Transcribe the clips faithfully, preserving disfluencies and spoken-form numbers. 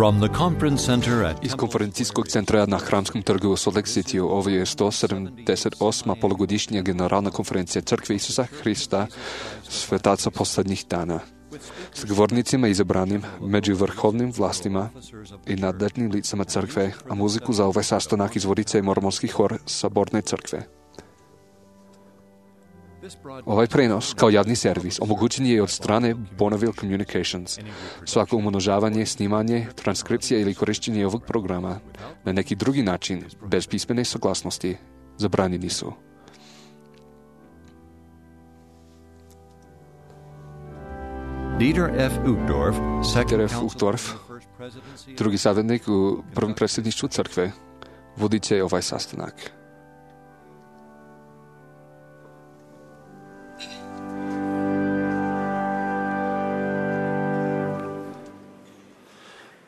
From the conference center at Iz konferencijskog centra na Hramskom trgu u Salt Lake City ovo je sto sedamdeset osma polugodišnja generalna konferencija Crkve Isusa Hrista, svetaca posljednjih dana. S govornicima izabranim među vrhovnim vlastima i nadležnim licama crkve, a muziku za ovaj sastanak izvodit će mormonski hor Saborne crkve. Ovaj prenos, kao javni servis, omogućen je od strane Bonneville Communications. Svako umnožavanje, snimanje, transkripcija ili korištenje ovog programa na neki drugi način, bez pismene saglasnosti, zabranjeni su. Dieter F. Uchtdorf, Dieter F. Uchtdorf, drugi savjetnik u prvom predsjedništvu crkve, vodit će ovaj sastanak.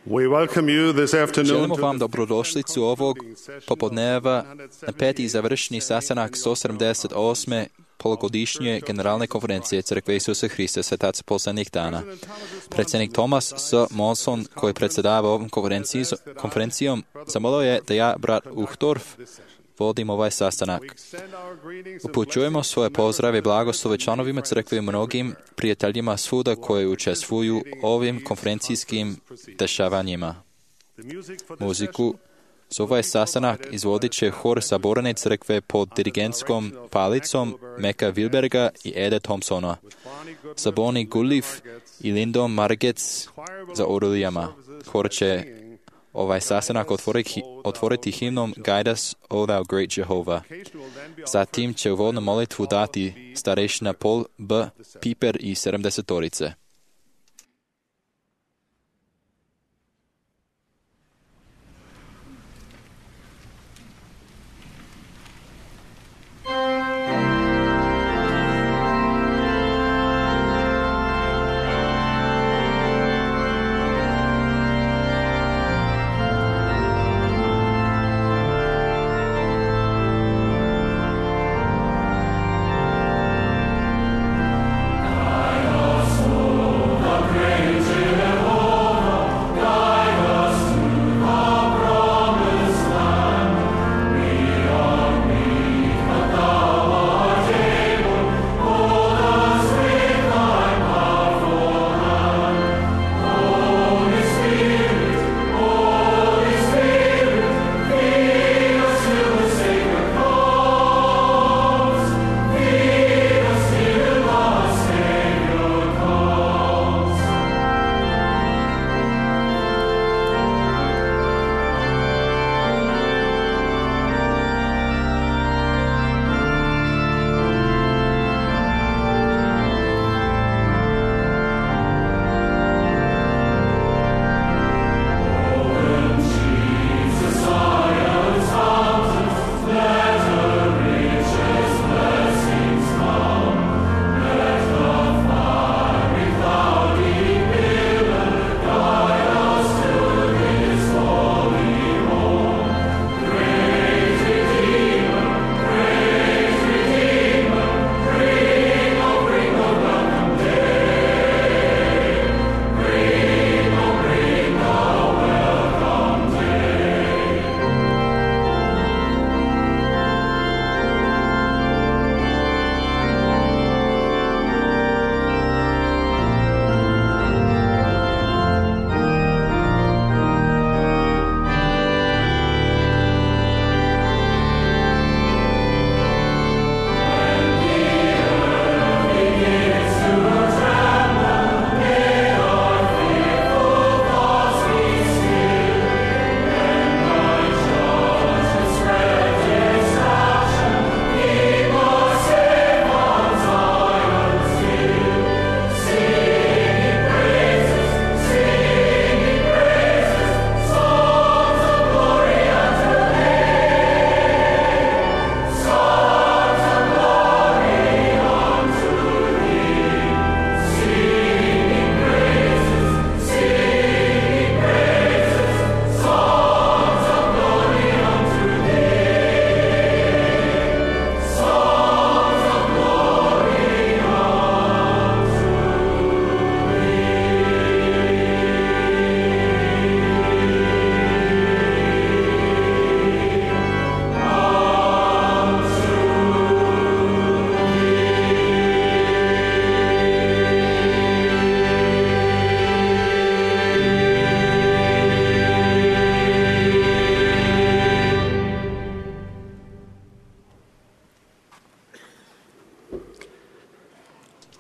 We welcome you this afternoon. Želimo vam dobrodošlicu ovog popodneva na peti završni sastanak sto sedamdeset osme polugodišnje generalne konferencije Crkve Isusa Hrista, svetaca posljednjih dana. Predsjednik Thomas S. Monson, koji predsjedava ovom konferencijom, zamolio je da ja, brat Uchtdorf, vodim ovaj sastanak. Upućujemo svoje pozdrave i blagoslove članovima crkve i mnogim prijateljima svuda koji učestvuju ovim konferencijskim dešavanjima. Muziku za ovaj sastanak izvodit će hor Saborne crkve pod dirigentskom palicom Meka Wilberga i Eda Thompsona, sa Bonnie Gullif i Lindom Margetts za orulijama. Hor će ovaj sastanak otvoriti, otvoriti himnom Guide us, O thou great Jehovah. Zatim će uvodnu molitvu dati starešina Paul B. Piper i sedamdesetorice. Oh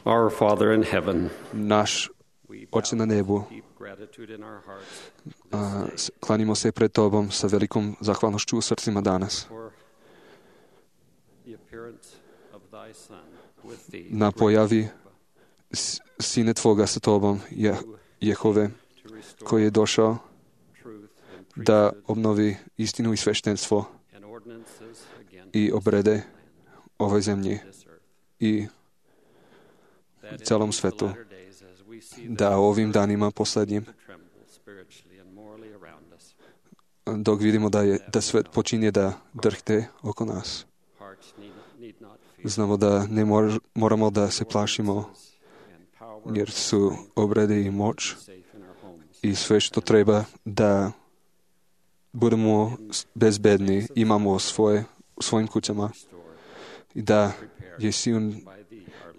Our Father in heaven, Náš Oče na nebu, a klanimo se pred Tobom sa velikom zahvalnošću u srcima danas na pojavi Sine Tvoga sa Tobom, Je, Jehove, koji je došao da obnovi istinu i sveštenstvo i obrede ovoj zemlji i celom svetu, da ovim danima posljednjim, dok vidimo da, je, da svet počinje da drhte oko nas, znamo da ne mor, moramo da se plašimo, jer su obrede i moć i sve što treba da budemo bezbedni, imamo svoje, u svojim kućama i da je Sion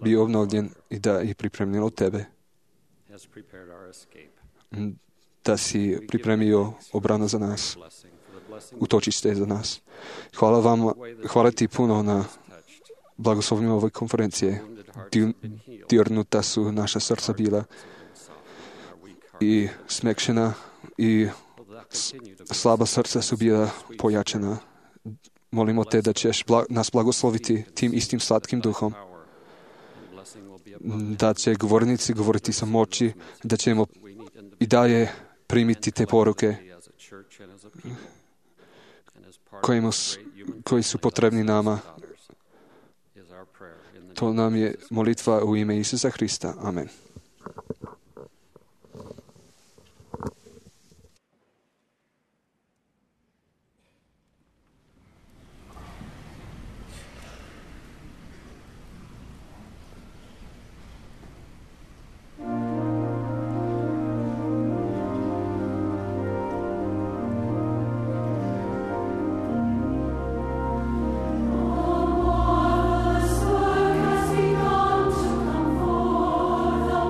bio obnovljen i da je pripremljen od Tebe, da si pripremio obranu za nas, utočište za nas. Hvala vam, hvala Ti puno na blagoslovima ove konferencije. Dirnuta su naša srca bila i smekšena i slaba srca su bila pojačana. Molimo Te da ćeš nas blagosloviti tim istim slatkim duhom, da će govornici govoriti sa moći, da ćemo i dalje primiti te poruke kojima, koji su potrebni nama. To nam je molitva u ime Isusa Hrista. Amen. Has begun to come forth.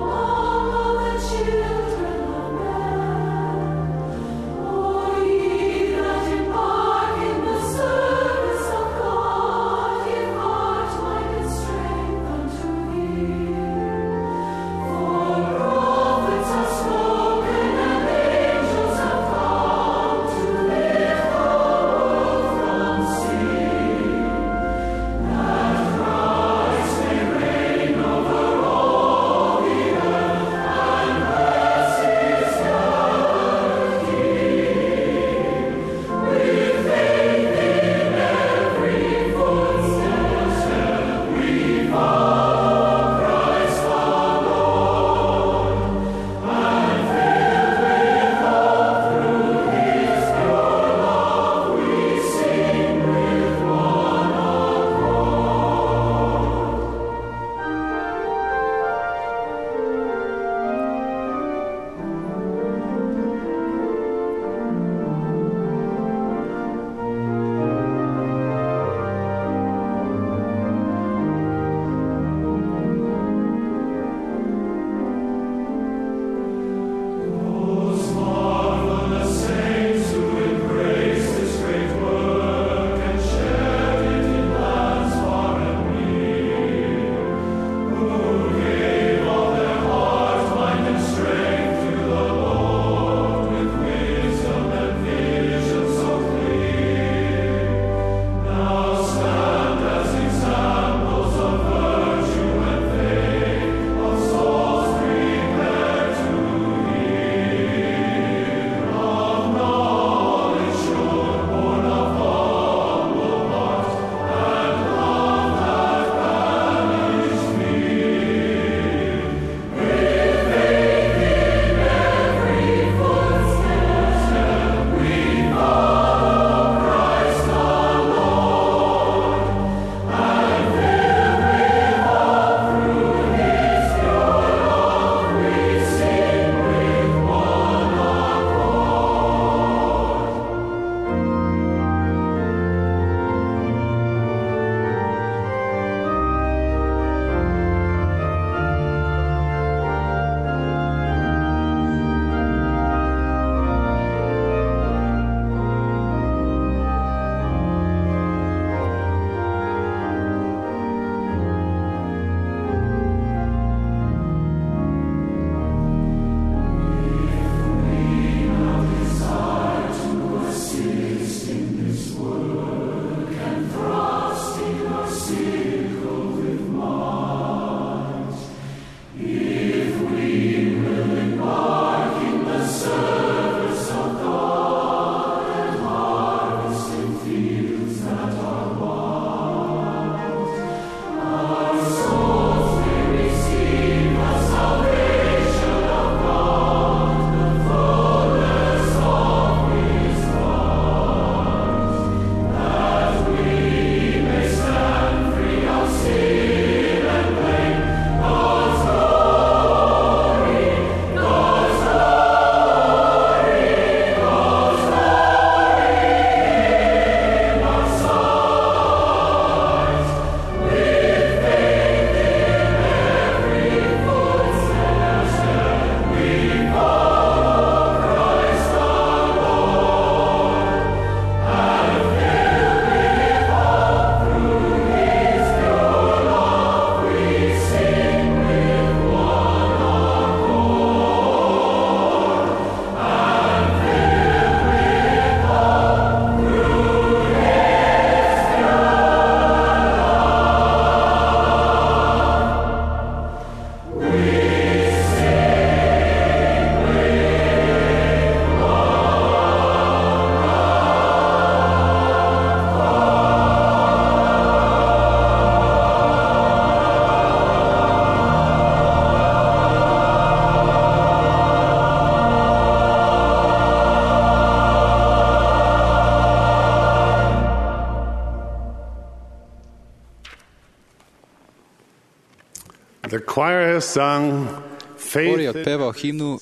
The choir has sung Hor je faith in otpevao himnu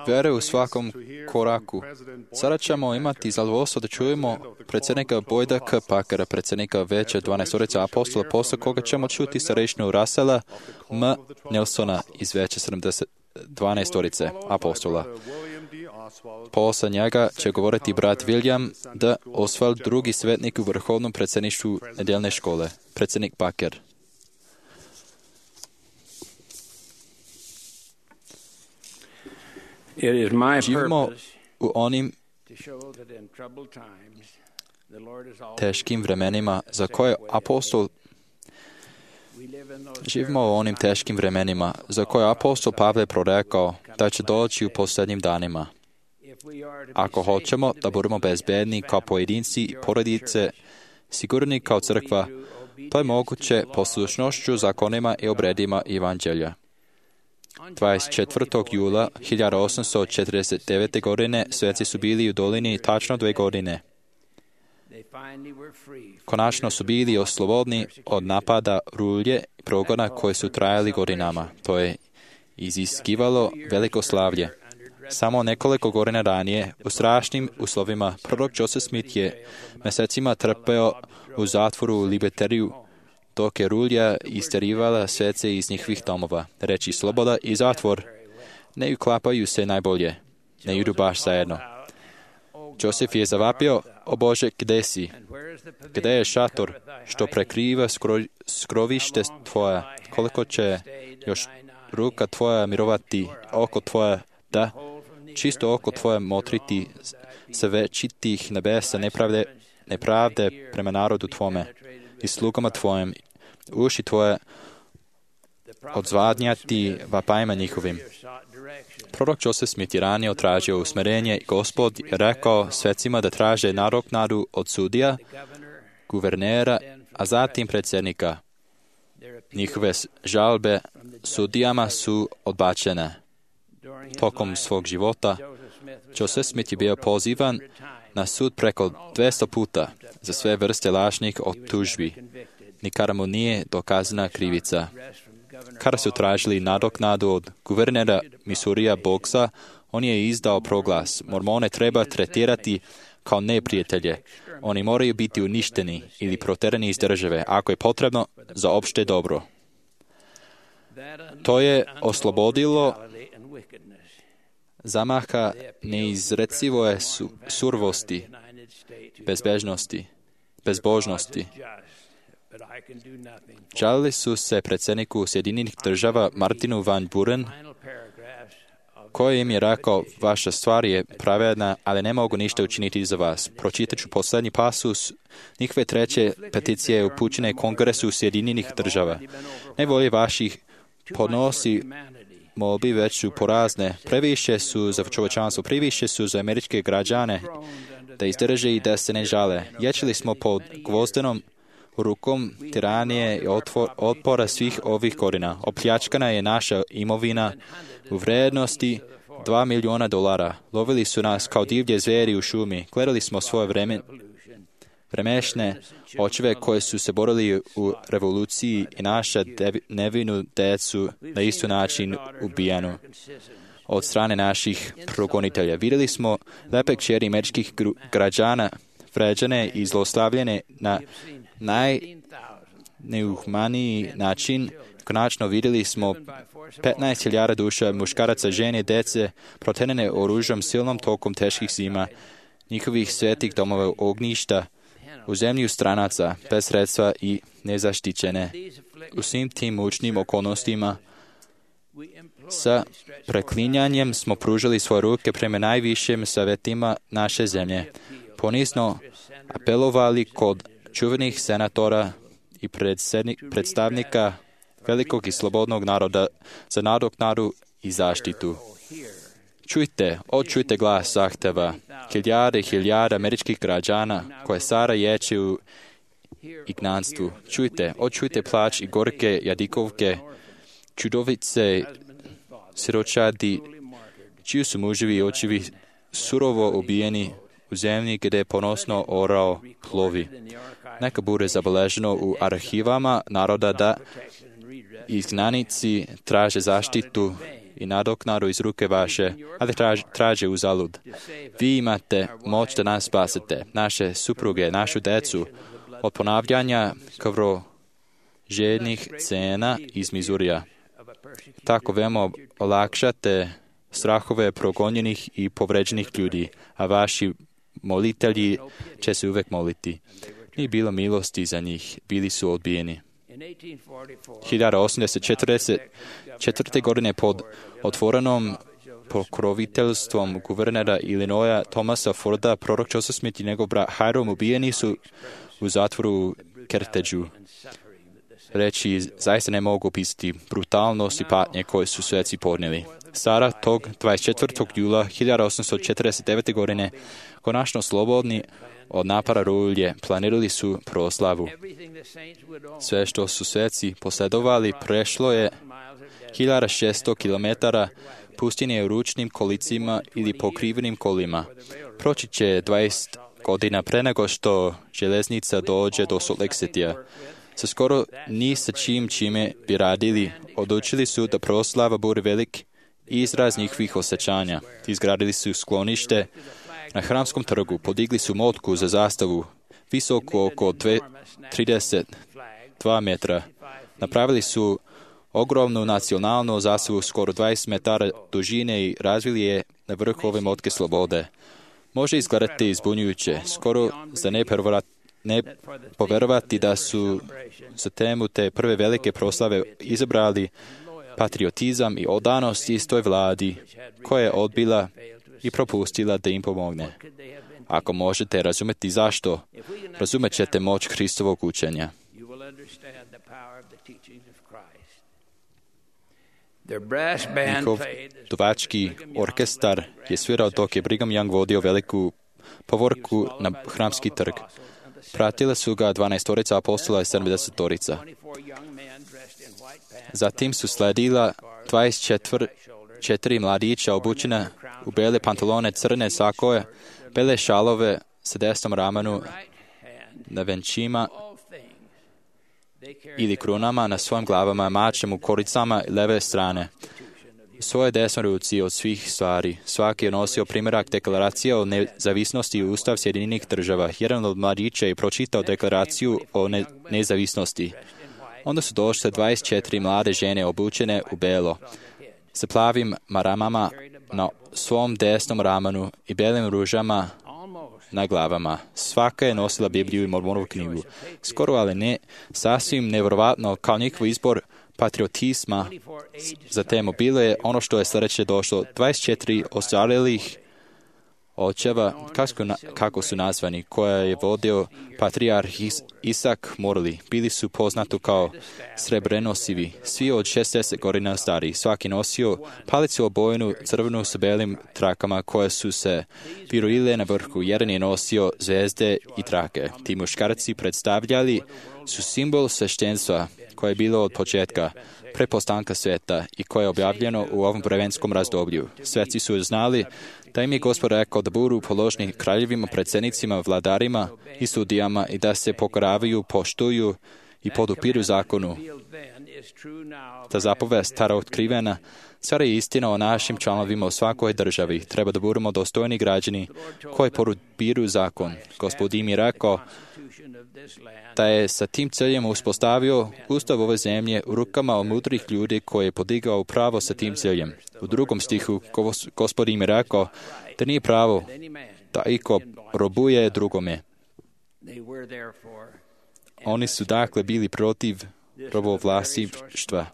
vere u svakom koraku. Sada ćemo imati zadovoljstvo da čujemo predsjednika Boyda K. Packera, predsjednika Veća dvanaestorice apostola, posle koga ćemo čuti starešinu Russella M. Nelsona iz Veća dvanaestorice apostola. Posle njega će govoriti brat William D. Oswald, drugi svetnik u vrhovnom predsjedništvu nedeljne škole, predsjednik Packer. Živimo u onim teškim vremenima za koje apostol živimo u onim teškim vremenima za koje apostol Pavle prorekao da će doći u posljednjim danima. Ako hoćemo da budemo bezbedni kao pojedinci i porodice, sigurni kao crkva, to je moguće poslušnošću zakonima i obredima Evanđelja. dvadeset četvrtog jula hiljadu osamsto četrdeset devete. godine sveci su bili u dolini tačno dve godine. Konačno su bili oslobodni od napada rulje i progona koje su trajali godinama. To je iziskivalo veliko slavlje. Samo nekoliko godina ranije, u strašnim uslovima, prorok Joseph Smith je mesecima trpeo u zatvoru u Liberteriju, dok je rulja isterivala svece iz njihovih domova. Reči sloboda i zatvor ne uklapaju se najbolje, ne idu baš zajedno. Josef je zavapio: o Bože, gde si? Gde je šator što prekriva skro, skrovište tvoja? Koliko će još ruka tvoja mirovati, oko tvoja, da, čisto oko tvoje motriti sa večitih nebesa nepravde, nepravde prema narodu tvome i slugama tvojim, uši tvoje odzvadnjati vapajima njihovim. Prorok Joseph Smith je ranije tražio usmerenje i Gospod je rekao svecima da traže nadoknadu od sudija, guvernera, a zatim predsjednika. Njihove žalbe sudijama su odbačene. Tokom svog života Joseph Smith je bio pozivan na sud preko dvesta puta za sve vrste lažnih optužbi. Nikada mu nije dokazana krivica. Kada su tražili nadoknadu od guvernera Missourija Boxa, on je izdao proglas: Mormone treba tretirati kao neprijatelje. Oni moraju biti uništeni ili proterani iz države, ako je potrebno, za opšte dobro. To je oslobodilo zamaha neizrecivoje su, survosti, bezbežnosti, bezbožnosti. Žalili su se predsjedniku Sjedinjenih država Martinu Van Buren, koji im je rekao: vaša stvar je pravedna, ali ne mogu ništa učiniti za vas. Pročitat ću posljednji pasus njihove treće peticije upućene Kongresu Sjedinjenih država. Nevolje vaših podnosi molbi već su porazne, previše su za čovječanstvo, previše su za američke građane da izdrže i da se ne žale. Ječili smo pod gvozdenom rukom tiranije i otvor, otpora svih ovih godina. Opljačkana je naša imovina u vrednosti dva miliona dolara. Lovili su nas kao divlje zveri u šumi. Gledali smo svoje vreme, vremešne očeve koje su se borili u revoluciji i naša devi, nevinu decu na isto način ubijanu od strane naših progonitelja. Vidjeli smo lepe kćeri američkih građana vređane i zlostavljene na najneuhmaniji način. Konačno vidjeli smo petnaest hiljada duša muškaraca, žene, dece protenene oružjem silnom tokom teških zima, njihovih svetih domova ognjišta, u zemlju stranaca, bez sredstva i nezaštićene. U svim tim mučnim okolnostima sa preklinjanjem smo pružili svoje ruke prema najvišim savjetima naše zemlje. Ponizno apelovali kod čuvenih senatora i predstavnika velikog i slobodnog naroda za nadoknadu i zaštitu. Čujte, očujte glas zahteva hiljade i hiljada američkih građana koje sada ječe u ignanstvu. Čujte, očujte plač i gorke jadikovke, čudovice, siročadi, čiji su muževi i očevi surovo ubijeni u zemlji gdje ponosno orao plovi. Neka bude zabeleženo u arhivama naroda da izgnanici traže zaštitu i nadoknadu iz ruke vaše, ali traže, traže uzalud. Vi imate moć da nas spasite, naše supruge, našu decu, od ponavljanja krvožednih cena iz Mizurija. Tako veoma olakšate strahove progonjenih i povređenih ljudi, a vaši molitelji će se uvek moliti. Nije bilo milosti za njih, bili su odbijeni. hiljadu osamsto četrdeset četvrte. godine pod otvorenom pokroviteljstvom guvernera Illinoisa Thomasa Forda, prorok Joseph Smith i njegov brat Hiram ubijeni su u zatvoru u Kerteđu. Reći zaista ne mogu opisati brutalnost i patnje koje su sveci podnijeli. Sada tog dvadeset četvrtog jula hiljadu osamsto četrdeset devete. godine, konačno slobodni od napara rulje, planirali su proslavu. Sve što su sveci posledovali prešlo je hiljadu šesto kilometara pustinje u ručnim kolicima ili pokrivenim kolima. Proći će dvadeset godina pre nego što železnica dođe do Salt Lake Citya. Sa skoro ni sa čim čime bi radili, odlučili su da proslava bude velik izraz njihovih osjećanja. Izgradili su sklonište na Hramskom trgu, podigli su motku za zastavu, visoko oko trideset dva metra. Napravili su ogromnu nacionalnu zastavu skoro dvadeset metara dužine i razvili je na vrhu ove motke slobode. Može izgledati izbunjujuće, skoro za ne ne poverovati da su za temu te prve velike proslave izabrali patriotizam i odanost istoj vladi koja je odbila i propustila da im pomogne. Ako možete razumjeti zašto, razumet ćete moć Hristovog učenja. Njihov duvački orkestar je svirao dok je Brigham Young vodio veliku povorku na Hramski trg. Pratile su ga dvanaestorica apostola i sedamdesetorica. Zatim su sledila dvadeset četiri mladića obučena u bele pantalone, crne sakoje, bele šalove sa desnom ramenu na venčima ili krunama na svojim glavama, mačem u koricama i leve strane. U svojoj desnoj ruci od svih stvari. Svaki je nosio primjerak deklaracije o nezavisnosti i Ustav Sjedinjenih država. Jedan od mladića je pročitao deklaraciju o ne- nezavisnosti. Onda su došle dvadeset četiri mlade žene obučene u belo, sa plavim maramama na svom desnom ramenu i belim ružama na glavama. Svaka je nosila Bibliju i Mormonovu knjigu. Skoro, ali ne sasvim nevjerovatno, kao njihov izbor patriotizma za temu bilo je ono što je sljedeće došlo. dvadeset četiri ostarelih očeva, kako, kako su nazvani, koja je vodio patrijarh Is, Isak Morley. Bili su poznati kao srebrenosivi, svi od šezdeset godina stari. Svaki nosio palicu obojenu crvenu s belim trakama koje su se virujile na vrhu. Jedan je nosio zvezde i trake. Ti muškarci predstavljali su simbol sveštenstva koje je bilo od početka prepostanka sveta i koje je objavljeno u ovom vremenskom razdoblju. Sveci su znali da im je Gospod rekao da budu položni kraljevima, predsjednicima, vladarima i sudijama i da se pokoravaju, poštuju i podupiru zakonu. Ta zapovest, stara otkrivena, sada je istina o našim članovima u svakoj državi. Treba da budemo dostojni građani koji podupiru zakon. Gospod im je rekao da je sa tim ciljem uspostavio ustav ove zemlje u rukama mudrih ljudi koji je podigao pravo sa tim ciljem. U drugom stihu Gospod im je rekao da nije pravo da iko robuje drugome. Oni su dakle bili protiv robovlasništva.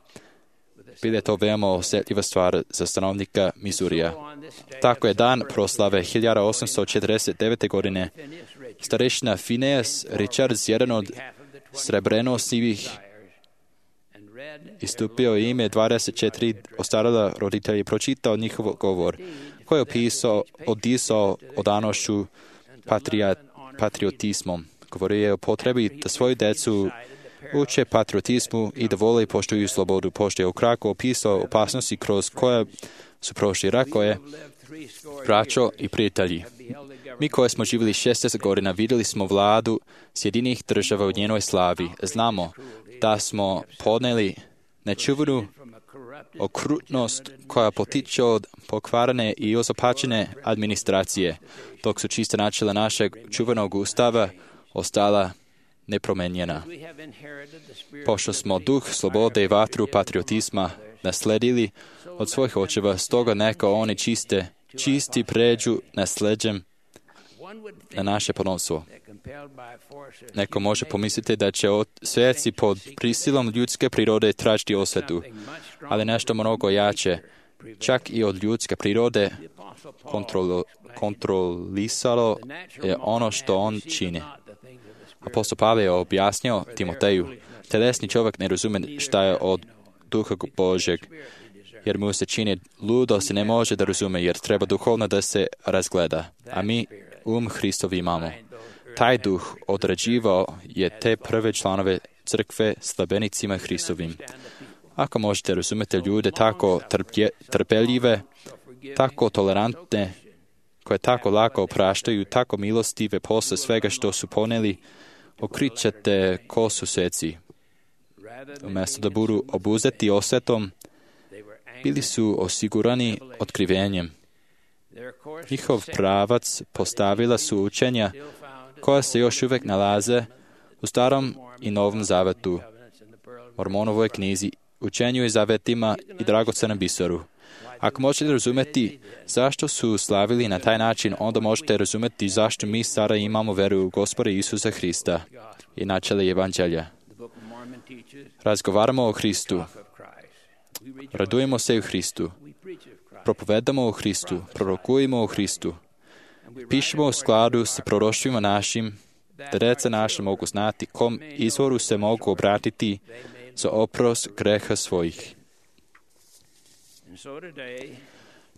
Bila je to veoma osjetljiva stvar za stanovnika Mizurija. Tako je dan proslave hiljadu osamsto četrdeset devete. godine starešina Phineas Richards, jedan od srebrenosivih, istupio ime dvadeset četiri ostarela roditelja i pročitao njihov govor, koji je opisao, odisao odanošću patria, patriotizmom. Govorio je o potrebi da svoju decu uče patriotizmu i da vole i poštuju slobodu. Pošto je ukratko opisao opasnosti kroz koje su prošli. Rekao je: braćo i prijatelji, Mi koji smo živjeli šezdeset godina vidjeli smo vladu Sjedinjenih država u njenoj slavi. Znamo da smo podneli nečuvenu okrutnost koja potiče od pokvarene i ozopačene administracije, dok su čista načela našeg čuvenog ustava ostala nepromenjena. Pošto smo duh slobode i vatru patriotizma nasledili od svojih očeva, stoga neka oni čiste, čisti pređu nasleđem na naše potomstvo. Neko može pomisliti da će sveci pod prisilom ljudske prirode tražiti osvetu, ali nešto mnogo jače, čak i od ljudske prirode, kontrolo, kontrolisalo je ono što on čini. Apostol Pavle je objasnio Timoteju, telesni čovjek ne razumije šta je od duha Božeg, jer mu se čini ludo se ne može da razume, jer treba duhovno da se razgleda, a mi um Hristov imamo. Taj duh određivao je te prve članove crkve slabenicima Hristovim. Ako možete razumjeti ljude tako trpje, trpeljive, tako tolerantne, koje tako lako opraštaju, tako milostive posle svega što su poneli, okrićete ko su sveci. Umjesto da budu obuzeti osvetom, bili su osigurani otkrivenjem. Njihov pravac postavila su učenja koja se još uvijek nalaze u Starom i Novom zavetu, Mormonovoj knjizi, učenju i zavetima i dragocenom biseru. Ako možete razumjeti zašto su slavili na taj način, onda možete razumjeti zašto mi sada imamo veru u Gospoda Isusa Hrista i načela Evanđelja. Razgovaramo o Hristu. Radujemo se u Hristu. Propovedamo o Hristu. Prorokujemo o Hristu. Pišemo u skladu s proroštvima našim, da deca naša mogu znati kom izvoru se mogu obratiti za oprost greha svojih.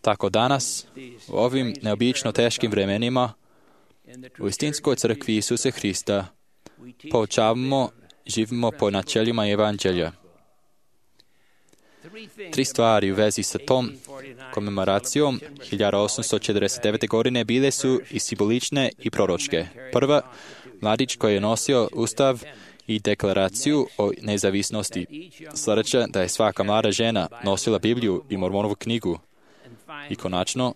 Tako danas, u ovim neobično teškim vremenima, u istinskoj crkvi Isusa Hrista, poučavamo, živimo po načelima Evanđelja. Tri stvari u vezi sa tom komemoracijom hiljadu osamsto četrdeset devete. godine bile su i simbolične i proročke. Prva, mladić koji je nosio ustav i deklaraciju o nezavisnosti. Sljedeća, da je svaka mlada žena nosila Bibliju i Mormonovu knjigu. I konačno,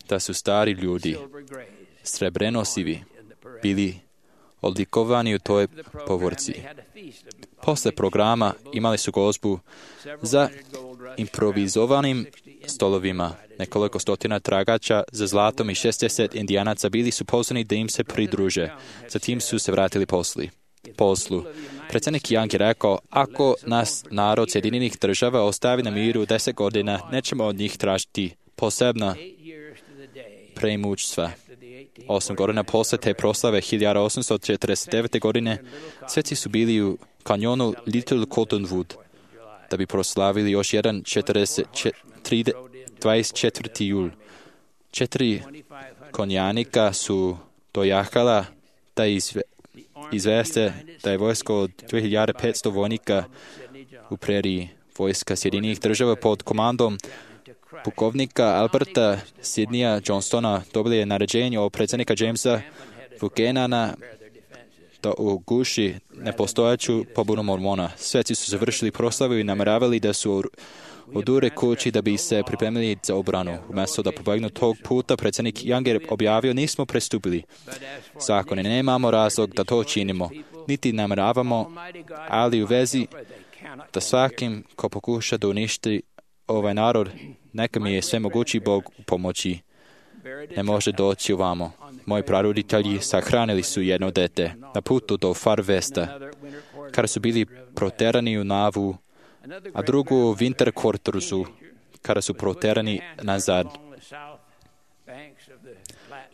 da su stari ljudi, srebrenosivi, bili odlikovani u toj povorci. Posle programa imali su gozbu za improvizovanim stolovima. Nekoliko stotina tragača za zlatom i šezdeset indijanaca bili su pozvani da im se pridruže. Zatim su se vratili posli. poslu. Predsjednik Young je rekao, ako nas narod Sjedinjenih država ostavi na miru deset godina, nećemo od njih tražiti posebna preimućstva. Osam godina posle te proslave hiljadu osamsto četrdeset devete. godine sveci su bili u kanjonu Little Cottonwood da bi proslavili još jedan dvadeset četvrti jul. Četiri konjanika su dojahala da izve, izveste da je vojsko od dve hiljade petsto vojnika u preriji. Vojska Sjedinjenih država pod komandom pukovnika Alberta Sidneya Johnstona dobili je naređenje od predsjednika Jamesa Buchanana da uguši nepostojaću pobunu Mormona. Sveci su završili proslavu i namjeravali da su odure kući da bi se pripremili za obranu. Umjesto da pobegnu tog puta, predsjednik Young je objavio, nismo prestupili zakone, nemamo razlog da to činimo, niti namjeravamo, ali u vezi da svakim ko pokuša da uništi ovaj narod, neka mi je svemogući Bog u pomoći. Ne može doći ovamo. Moji praroditelji sahranili su jedno dete na putu do Far Westa, kada su bili proterani u Navu, a drugu u Winter Quartersu, kada su proterani nazad.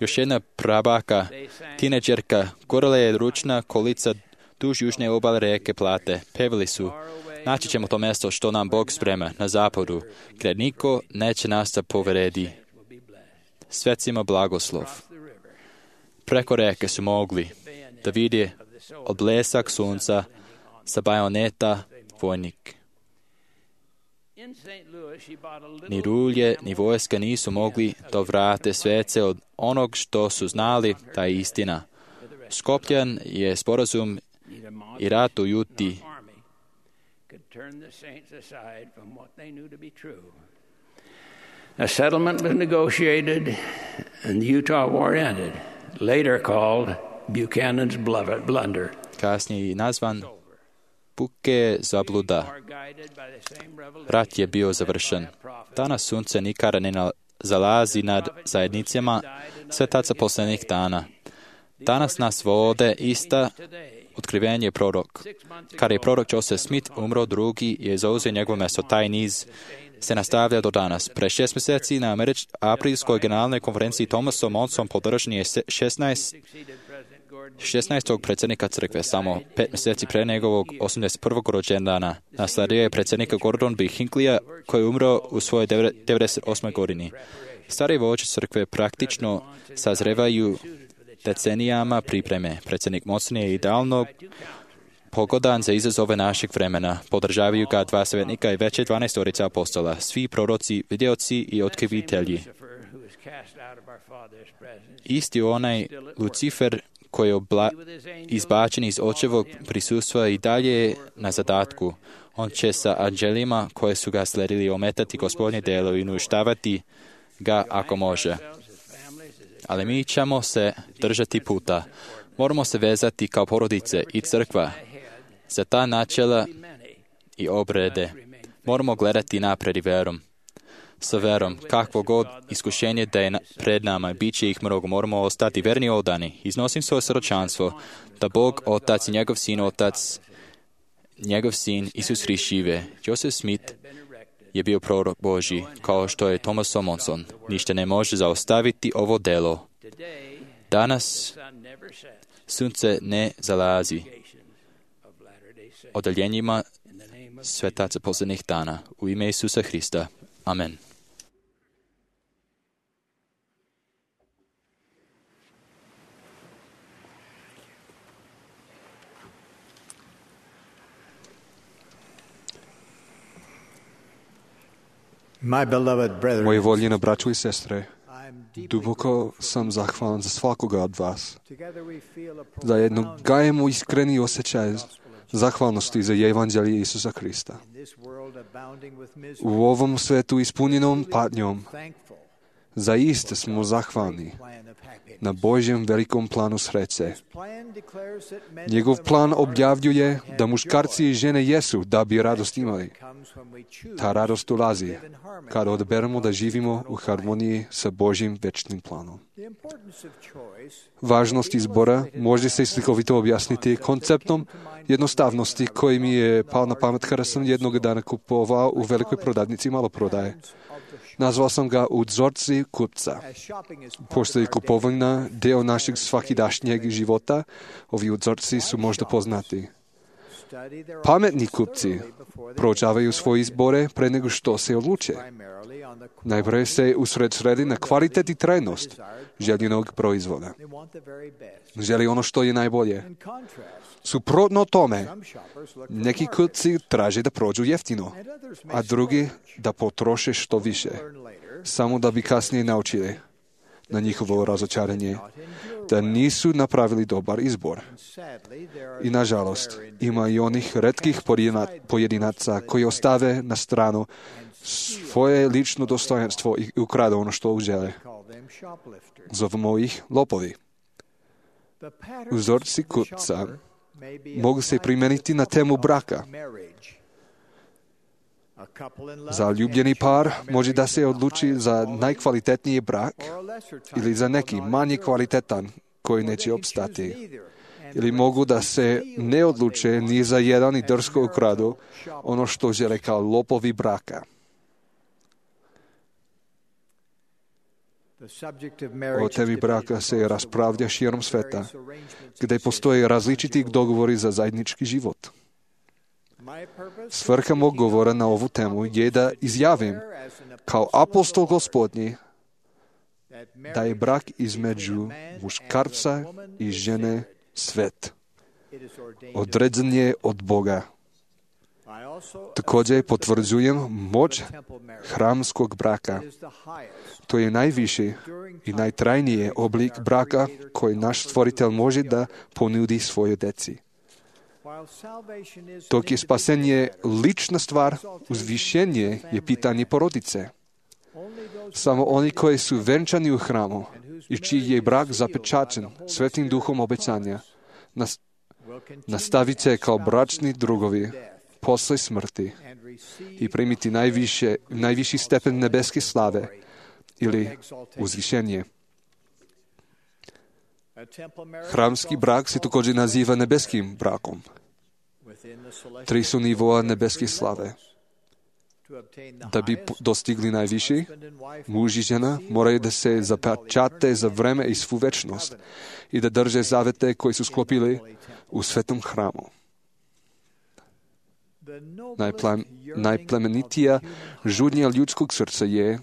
Još jedna prabaka, tineđerka, gorela je ručna kolica duž južne obale rijeke Plate. Pevali su, naći ćemo to mjesto što nam Bog sprema na zapadu, gdje niko neće nas da povredi. Svecima blagoslov. Preko reke su mogli da vidi odblesak sunca sa bajoneta vojnik. Ni rulje, ni vojska nisu mogli da vrate svece od onog što su znali, ta je istina. Skopljen je sporazum i rat u Juti. A settlement was negotiated and the Utah War ended, later called Buchanan's blunder. Kasnije nazvan Buke zabluda. Rat je bio završen. Danas sunce nikada ne zalazi nad zajednicama svetaca posljednjih dana. Danas nas vode ista otkrivenje prorok. Kada je prorok Joseph Smith umro, drugi je zauzeo njegovo mjesto. Taj niz se nastavlja do danas. Pre šest mjeseci na Američ- aprilskoj generalnoj konferenciji Thomasom Monson podržan je šesnaest šesnaestog predsjednika crkve, samo pet mjeseci pre njegovog osamdeset prvog rođendana. Nasledio je predsjednika Gordon B. Hinckley, koji je umro u svojoj devedeset osmoj godini. Stari vođe crkve praktično sazrevaju decenijama pripreme. Predsjednik Monson je idealno pogodan za izazove našeg vremena. Podržavaju ga dva savjetnika i veće dvanaestorica apostola, svi proroci, vidioci i otkrivitelji. Isti onaj Lucifer koji je obla- izbačen iz očevog prisustva i dalje na zadatku. On će sa anđelima koje su ga sledili ometati Gospodnje delo i uništavati ga ako može. Ali mi ćemo se držati puta. Moramo se vezati kao porodice i crkva za ta načela i obrede. Moramo gledati napred i verom. Sa verom, kakvo god iskušenje da je pred nama, bit će ih mnogo, moramo ostati verni i odani. Iznosim svoje sročanstvo da Bog, Otac i njegov sin, Otac, njegov sin, Isus Hrist žive. Joseph Smith je bio prorok Božji, kao što je Thomas Monson. Ništa ne može zaustaviti ovo delo. Danas sunce ne zalazi odaljenjima svetaca posljednjih dana. U ime Isusa Hrista. Amen. My beloved brethren, Moji voljeni braćo i sestre, duboko sam zahvalan za svakoga od vas. Zajedno gajemo iskreni osjećaj zahvalnosti za evanđelje Isusa Hrista. U ovom svetu ispunjenom patnjom, zaiste smo zahvalni na Božjem velikom planu sreće. Njegov plan objavljuje da muškarci i žene jesu da bi radost imali. Ta radost dolazi kada odaberemo da živimo u harmoniji sa Božjim večnim planom. Važnost izbora može se slikovito objasniti konceptom jednostavnosti koji mi je pao na pamet kada sam jednog dana kupovao u velikoj prodavnici maloprodaje. Nazvao sam ga uzorci kupca. Pošto je kupovina deo našeg svakidašnjeg života, ovi uzorci su možda poznati. Pametni kupci proučavaju svoje izbore pre nego što se odluče. Najprije se usredsredi na kvalitet i trajnost željenog proizvoda. Želi ono što je najbolje. Suprotno tome, neki kupci traže da prođu jeftino, a drugi da potroše što više, samo da bi kasnije naučili na njihovo razočaranje da nisu napravili dobar izbor. I nažalost, ima i onih retkih pojedinaca koji ostave na stranu svoje lično dostojanstvo i ukrade ono što žele. Zovemo ih lopovi. Uzorci kupca mogu se primijeniti na temu braka. Zaljubljeni par može da se odluči za najkvalitetniji brak ili za neki manje kvalitetan koji neće opstati. Ili mogu da se ne odluče ni za jedan i drsko ukradu ono što žele kao lopovi braka. O temi braka se raspravlja širom sveta, gdje postoje različiti dogovori za zajednički život. Svrha mog govora na ovu temu je da izjavim kao apostol Gospodnji da je brak između muškarca i žene svet. Određen je od Boga. Također potvrdzujem moć hramskog braka. To je najviši i najtrajniji oblik braka koji naš stvoritelj može da ponudi svojoj deci. Dok je spasenje lična stvar, uzvišenje je pitanje porodice. Samo oni koji su venčani u hramu i čiji je brak zapečaćen svetim duhom obećanja, nastavit će kao bračni drugovi posle smrti i primiti najviše, najviši stepen nebeske slave ili uzvišenje. Hramski brak se također naziva nebeskim brakom. Tri su nivoa nebeske slave. Da bi dostigli najviši, muž i žena moraju da se zapečate za vreme i svu večnost i da drže zavete koji su sklopili u svetom hramu. Najplem, najplemenitija žudnja ljudskog srca je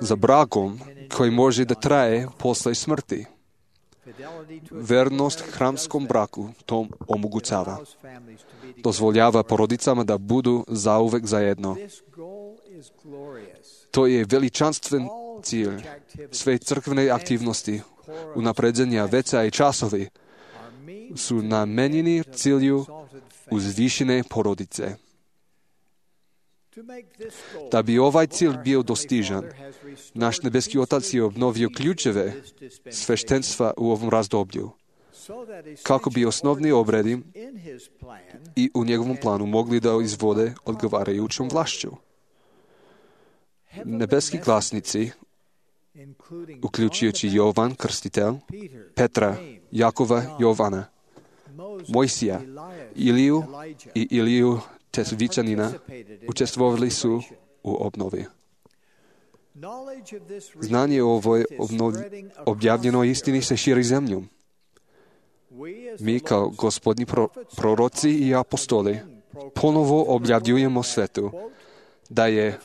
za brakom koji može da traje posle smrti. Vernost hramskom braku to omogućava. Dozvoljava porodicama da budu zauvek zajedno. To je veličanstven cilj. Sve crkvene aktivnosti, unapređenja veca i časovi su namenjeni cilju uzvišene porodice. Da bi ovaj cilj bio dostižan, naš nebeski Otac je obnovio ključeve sveštenstva u ovom razdoblju, kako bi osnovni obredi i u njegovom planu mogli da izvode odgovarajućom vlašću. Nebeski glasnici, uključujući Jovan Krstitelj, Petra, Jakova, Jovana, Mojsija, Iliju i Iliju Tesvičanina, učestvovali su u obnovi. Znanje o ovoj objavljenoj istini se širi zemljom. Mi kao gospodnji pro, proroci i apostoli ponovo objavljujemo svetu da je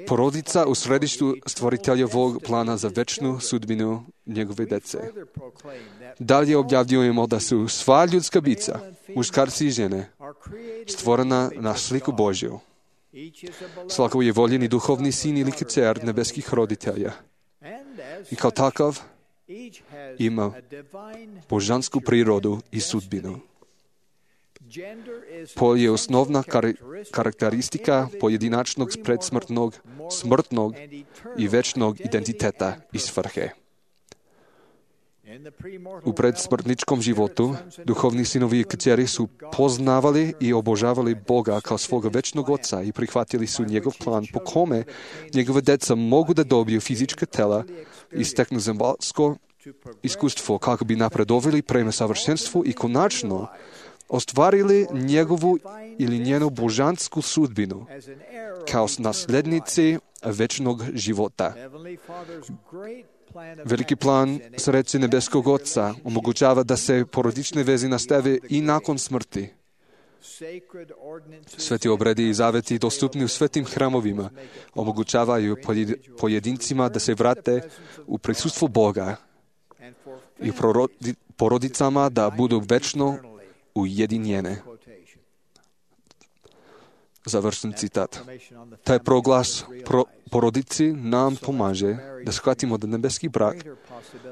porodica u središtu stvoriteljevog plana za večnu sudbinu njegove dece. Dalje objavljujemo da su sva ljudska bića, muškarci i žene, stvorena na sliku Božju. Svako je voljeni duhovni sin ili kćer nebeskih roditelja. I kao takav ima božansku prirodu i sudbinu. Pol je osnovna kar- karakteristika pojedinačnog predsmrtnog, smrtnog i večnog identiteta i svrhe. U predsmrtničkom životu duhovni sinovi i kćeri su poznavali i obožavali Boga kao svoga večnog Oca i prihvatili su njegov plan po kome njegove deca mogu da dobiju fizička tela i steknu zemaljsko iskustvo kako bi napredovali prema savršenstvu i konačno ostvarili njegovu ili njenu božansku sudbinu kao naslednici večnog života. Veliki plan sreće nebeskog Oca omogućava da se porodične veze nastave i nakon smrti. Sveti obredi i zaveti dostupni u svetim hramovima omogućavaju pojedincima da se vrate u prisustvo Boga i porodicama da budu večno ujedinjene. Završen citat. Taj proglas pro, porodici nam pomaže da shvatimo da nebeski brak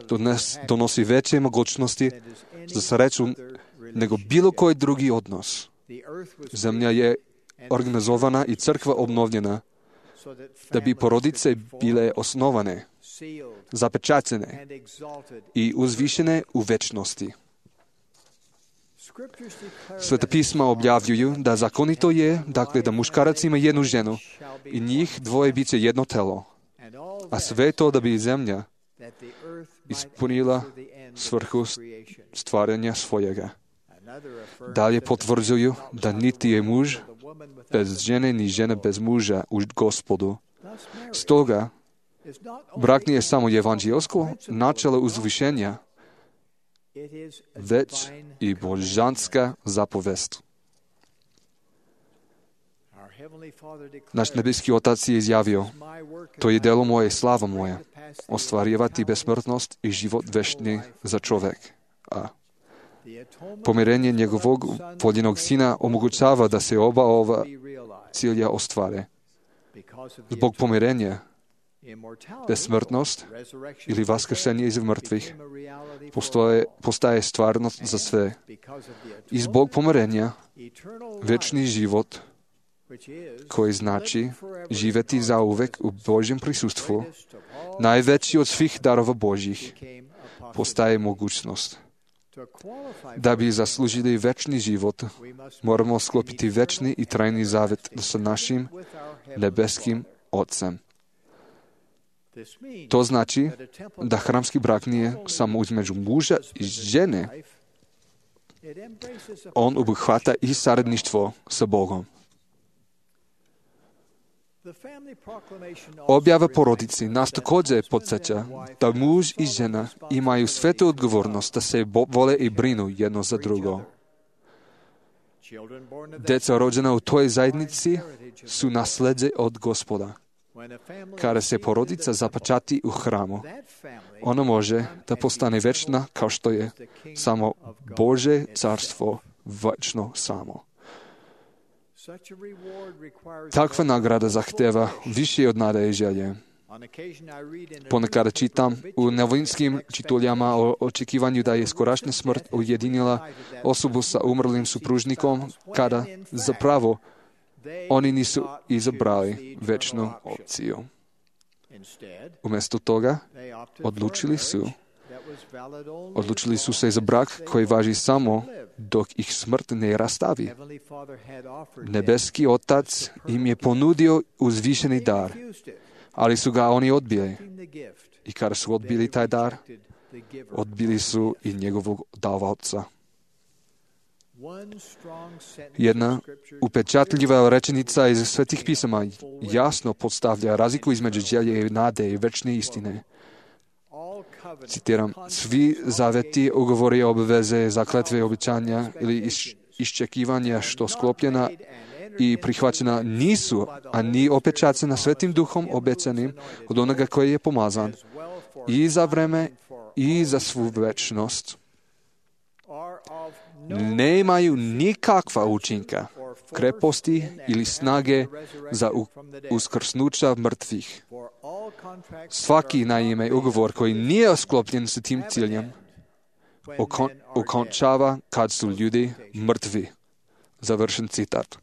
dones, donosi veće mogućnosti za sreću nego bilo koji drugi odnos. Zemlja je organizovana i crkva obnovljena da bi porodice bile osnovane, zapečaćene i uzvišene u večnosti. Sveta pisma objavljuju da zakonito je, dakle, da muškarac ima jednu ženu i njih dvoje bit će jedno telo, a sve to da bi zemlja ispunila svrhu stvaranja svojega. Dalje potvrđuju da niti je muž bez žene, ni žena bez muža u Gospodu. Stoga, brak nije samo evanđelsko načelo uzvišenja, već i božanska zapovest. Naš nebeski Otac je izjavio, to je delo moje, slava moja, ostvarivati besmrtnost i život večni za čovek. A Pomirenje njegovog voljenog sina omogućava da se oba ova cilja ostvare. Zbog pomirenja, besmrtnost ili vaskrsenje iz mrtvih postoje, postaje stvarnost za sve. I zbog pomirenja, večni život, koji znači živjeti zauvek u Božjem prisustvu, najveći od svih darova Božjih, postaje mogućnost. Da bi zaslužili večni život, moramo sklopiti večni i trajni zavet sa našim nebeskim Otcem. To znači da hramski brak nije samo između muža i žene. On obuhvata i saradništvo sa Bogom. Objava porodici nas također podsjeća da muž i žena imaju svetu odgovornost da se vole i brinu jedno za drugo. Djeca rođena u toj zajednici su nasljeđe od Gospoda. Kada se porodica započati u hramu, ona može da postane večna kao što je samo Božje carstvo večno samo. Takva nagrada zahteva više od nade i želje. Ponekad čitam u novinskim čituljama o očekivanju da je skorašnja smrt ujedinila osobu sa umrlim supružnikom, kada zapravo oni nisu izabrali večnu opciju. Umjesto toga, odlučili su, odlučili su se za brak koji važi samo dok ih smrt ne rastavi. Nebeski Otac im je ponudio uzvišeni dar, ali su ga oni odbili. I kada su odbili taj dar, odbili su i njegovog davaoca. Jedna upečatljiva rečenica iz Svetih pisama jasno postavlja razliku između želje i nade i večne istine. Citiram, svi zaveti, ugovori, obveze, zakletve, obećanja ili iščekivanja što sklopljena i prihvaćena nisu, a ni opečaćena Svetim Duhom obećanim od onoga koji je pomazan i za vreme i za svu večnost. Ne imaju nikakva učinka, kreposti ili snage za uskrsnuća mrtvih. Svaki naime ugovor koji nije sklopljen s tim ciljem okon, okončava kad su ljudi mrtvi. Završen citat.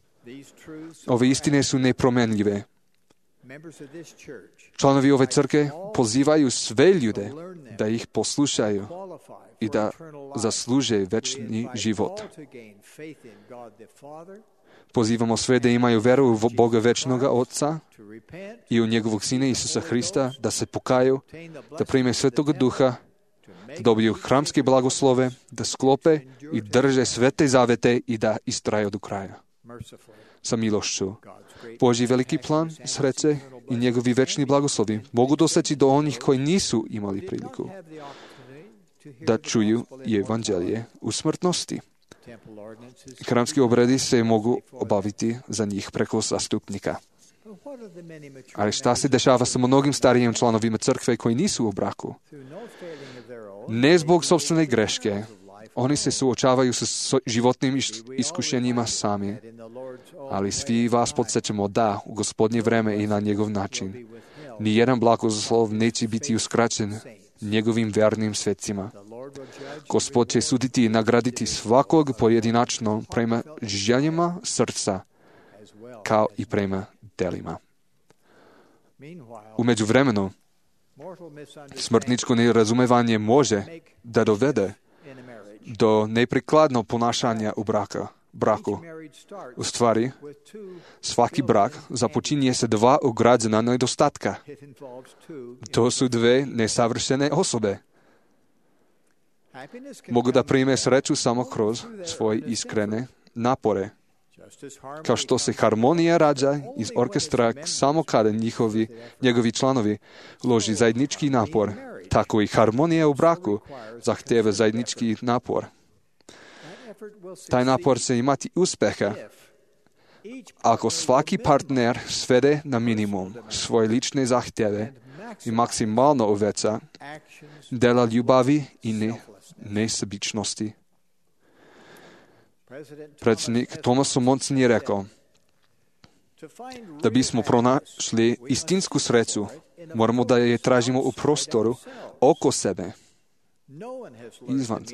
Ove istine su nepromenljive. Članovi ove crkve pozivaju sve ljude da ih poslušaju i da zasluže večni život. Pozivamo sve da imaju veru u Boga večnoga Otca i u njegovog Sina Isusa Hrista, da se pokaju, da prime Svetoga Duha, da dobiju hramske blagoslove, da sklope i drže svete zavete i da istraju do kraja. Sa milošću. Božji veliki plan, sreće i njegovi večni blagoslovi mogu doseći do onih koji nisu imali priliku da čuju evanđelje u smrtnosti. Hramski obredi se mogu obaviti za njih preko zastupnika. Ali šta se dešava sa mnogim starijim članovima crkve koji nisu u braku? Ne zbog sopstvene greške. Oni se suočavaju sa životnim iskušenjima sami. Ali svi vas podsjećamo da u Gospodnje vreme i na njegov način nijedan blagoslov neće biti uskraćen njegovim vernim svecima. Gospod će suditi i nagraditi svakog pojedinačno prema željama srca, kao i prema delima. U međuvremenu, smrtničko nerazumevanje može da dovede do neprikladnog ponašanja u braka, braku. U stvari, svaki brak započinje sa dva ugrađena nedostatka. To su dve nesavršene osobe. Mogu da prime sreću samo kroz svoje iskrene napore. Kao što se harmonija rađa iz orkestra samo kada njihovi, njegovi članovi uloži zajednički napor, tako i harmonija u braku zahteva zajednički napor. Taj napor će imati uspjeha ako svaki partner svede na minimum svoje lične zahtjeve i maksimalno uveća dela ljubavi i ne, nesebičnosti. Predsjednik Thomas Monson je rekao, da bismo pronašli istinsku sreću, moramo da je tražimo u prostoru oko sebe, izvan.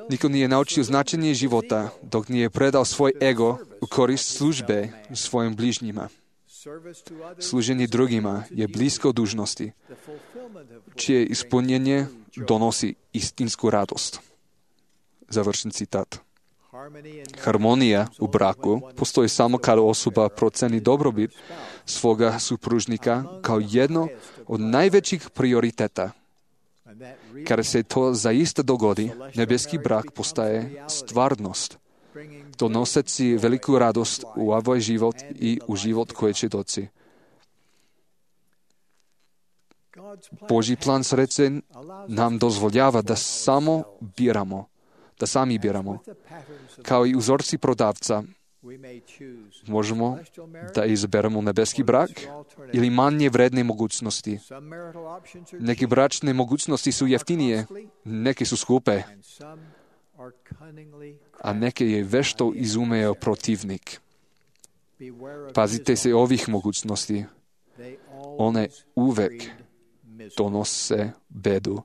Niko nije naučio značenje života dok nije predao svoj ego u korist službe svojim bližnjima. Služenje drugima je blisko dužnosti, čije ispunjenje donosi istinsku radost. Završen citat. Harmonija u braku postoji samo kada osoba proceni dobrobit svoga supružnika kao jedno od najvećih prioriteta. Kada se to zaista dogodi, nebeski brak postaje stvarnost, donoseći veliku radost u ovaj život i u život koji će doći. Božji plan sreće nam dozvoljava da samo biramo, da sami biramo. Kao i uzorci prodavca, možemo da izaberemo nebeski brak ili manje vredne mogućnosti. Neke bračne mogućnosti su jeftinije, neke su skupe, a neke je vešto izumeo protivnik. Pazite se ovih mogućnosti. One uvek donose bedu.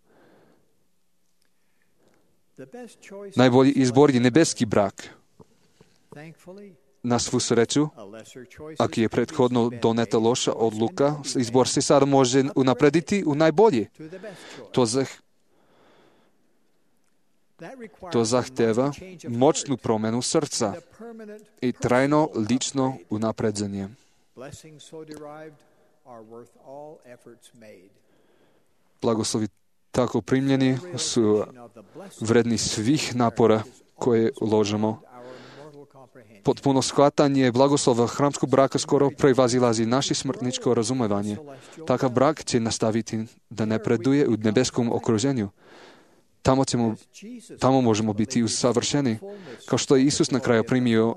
Najbolji izbor je nebeski brak. Na svu sreću, ako je prethodno doneta loša odluka, izbor se sada može unaprediti u najbolji. To, zah... to zahteva moćnu promjenu srca i trajno lično unapređenje. Blagoslovi tako primljeni su vredni svih napora koje uložimo. Potpuno shvatanje blagoslova hramskog braka skoro prevazilazi naše smrtničko razumevanje. Takav brak će nastaviti da napreduje u nebeskom okruženju. Tamo, ćemo, tamo možemo biti usavršeni. Kao što je Isus na kraju primio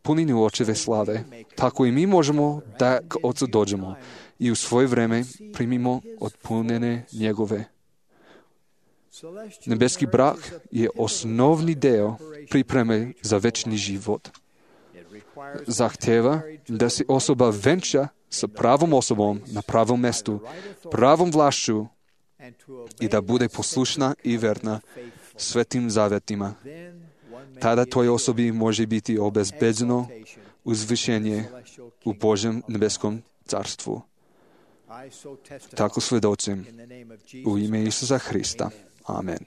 puninu očeve slave, tako i mi možemo da k Ocu dođemo i u svoje vreme primimo od punine njegove. Nebeski brak je osnovni deo pripreme za večni život. Zahteva da se osoba venča sa pravom osobom na pravom mestu, pravom vlašću i da bude poslušna i verna svetim zavetima. Tada toj osobi može biti obezbeđeno uzvišenje u Božjem nebeskom carstvu. Tako svedočim u ime Isusa Hrista. Amen.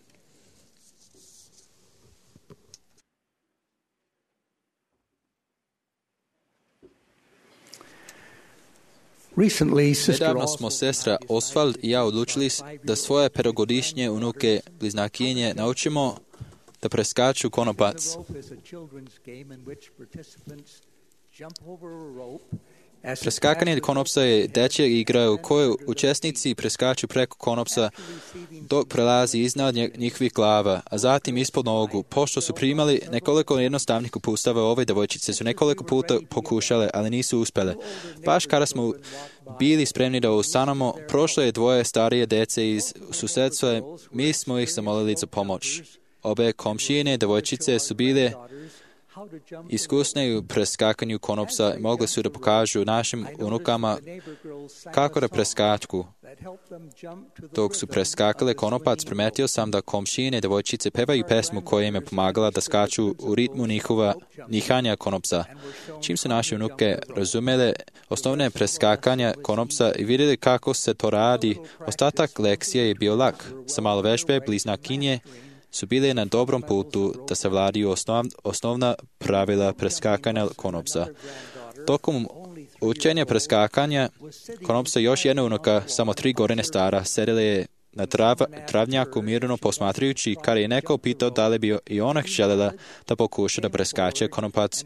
Nedavno smo sestra Osvald i ja odlučili da svoje petogodišnje unuke bliznakinje naučimo da preskaču konopac. Preskakanje konopsa je dečja igra u kojoj učesnici preskaču preko konopsa dok prelazi iznad njihovih glava, a zatim ispod nogu. Pošto su primali nekoliko jednostavnih uputstava, ove devojčice su nekoliko puta pokušale, ali nisu uspjele. Baš kada smo bili spremni da ustanemo, prošlo je dvoje starije dece iz susedstva, mi smo ih zamolili za pomoć. Obe komšijine devojčice su bile iskusne u preskakanju konopsa i mogli su da pokažu našim unukama kako da preskaču. Dok su preskakale konopac, primetio sam da komšijine devojčice pevaju pesmu koja im je pomagala da skaču u ritmu njihova nihanja konopsa. Čim su naše unuke razumele osnovne preskakanja konopsa i vidjeli kako se to radi, ostatak lekcije je bio lak. Sa malo vežbe bliznakinje su bile na dobrom putu da savladiju osnov, osnovna pravila preskakanja konopsa. Tokom učenja preskakanja konopsa još jedna unuka, samo tri godine stara, sedela je na trav, travnjaku mirno posmatrajući, kada je neko pitao da li bi i ona željela da pokuša da preskače konopac.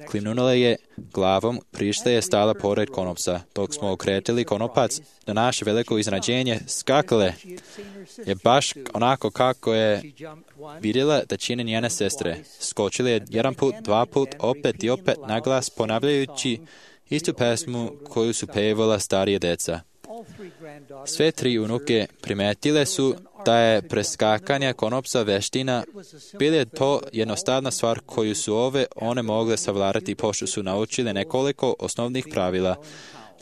Klimnula je glavom, prište je stala pored konopsa. Dok smo okretili konopac, na naše veliko iznenađenje, skakale je baš onako kako je vidjela da čine njene sestre. Skočili je jedan put, dva put, opet i opet naglas, ponavljajući istu pesmu koju su pevala starije deca. Sve tri unuke primetile su da je preskakanje konopca veština, bila je to jednostavna stvar koju su ove one mogle savladati pošto su naučile nekoliko osnovnih pravila,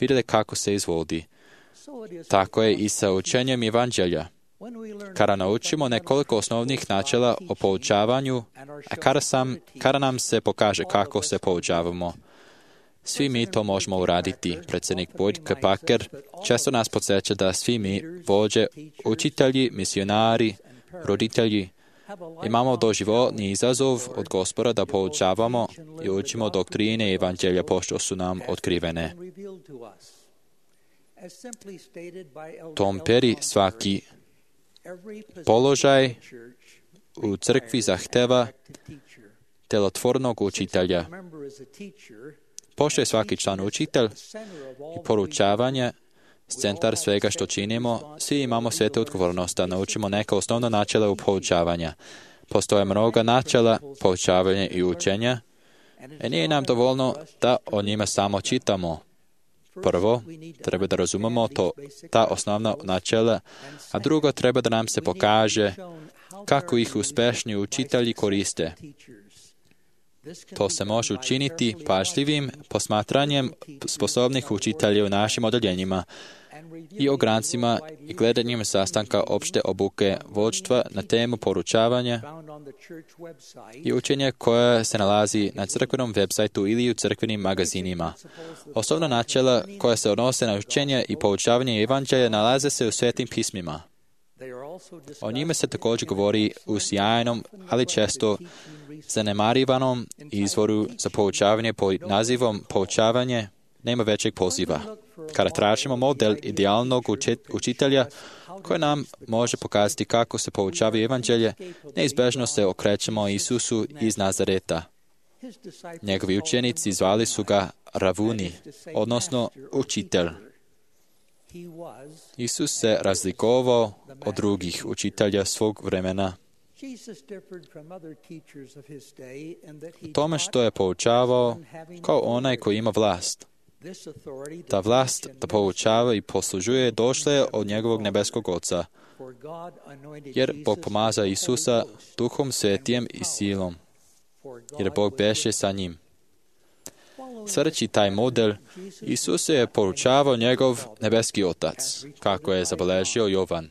vidjeli kako se izvodi. Tako je i sa učenjem evanđelja. Kada naučimo nekoliko osnovnih načela o poučavanju, a kada, sam, kada nam se pokaže kako se poučavamo, svi mi to možemo uraditi. Predsjednik Boyd K. Packer često nas podsjeća da svi mi, vođe, učitelji, misionari, roditelji, imamo doživotni izazov od Gospoda da poučavamo i učimo doktrine evanđelja pošto su nam otkrivene. Tom Perry svaki položaj u crkvi zahteva delotvornog učitelja. Pošto je svaki član učitelj i poručavanje centar svega što činimo, svi imamo svetu odgovornost da naučimo neka osnovna načela u poučavanja. Postoje mnoga načela poučavanja i učenja, i nije nam dovoljno da o njima samo čitamo. Prvo, treba da razumemo to, ta osnovna načela, a drugo, treba da nam se pokaže kako ih uspešni učitelji koriste. To se može učiniti pažljivim posmatranjem sposobnih učitelja u našim odeljenjima i ograncima i gledanjem sastanka opšte obuke vođstva na temu poručavanja i učenja koje se nalazi na crkvenom websajtu ili u crkvenim magazinima. Osnovna načela koja se odnose na učenje i poučavanje evanđelja nalaze se u svetim pismima. O njime se također govori u sjajnom, ali često zanemarivanom izvoru za poučavanje pod nazivom poučavanje nema većeg poziva. Kada tražimo model idealnog učitelja koji nam može pokazati kako se poučava evanđelje, neizbežno se okrećemo Isusu iz Nazareta. Njegovi učenici zvali su ga Ravuni, odnosno učitelj. Isus se razlikovao od drugih učitelja svog vremena u tome što je poučavao kao onaj koji ima vlast. Ta vlast da poučava i poslužuje došla je od njegovog nebeskog Oca, jer Bog pomaza Isusa Duhom Svetijem i silom, jer Bog beše sa njim. Sljedeći taj model, Isus je poučavao njegov nebeski Otac, kako je zabeležio Jovan.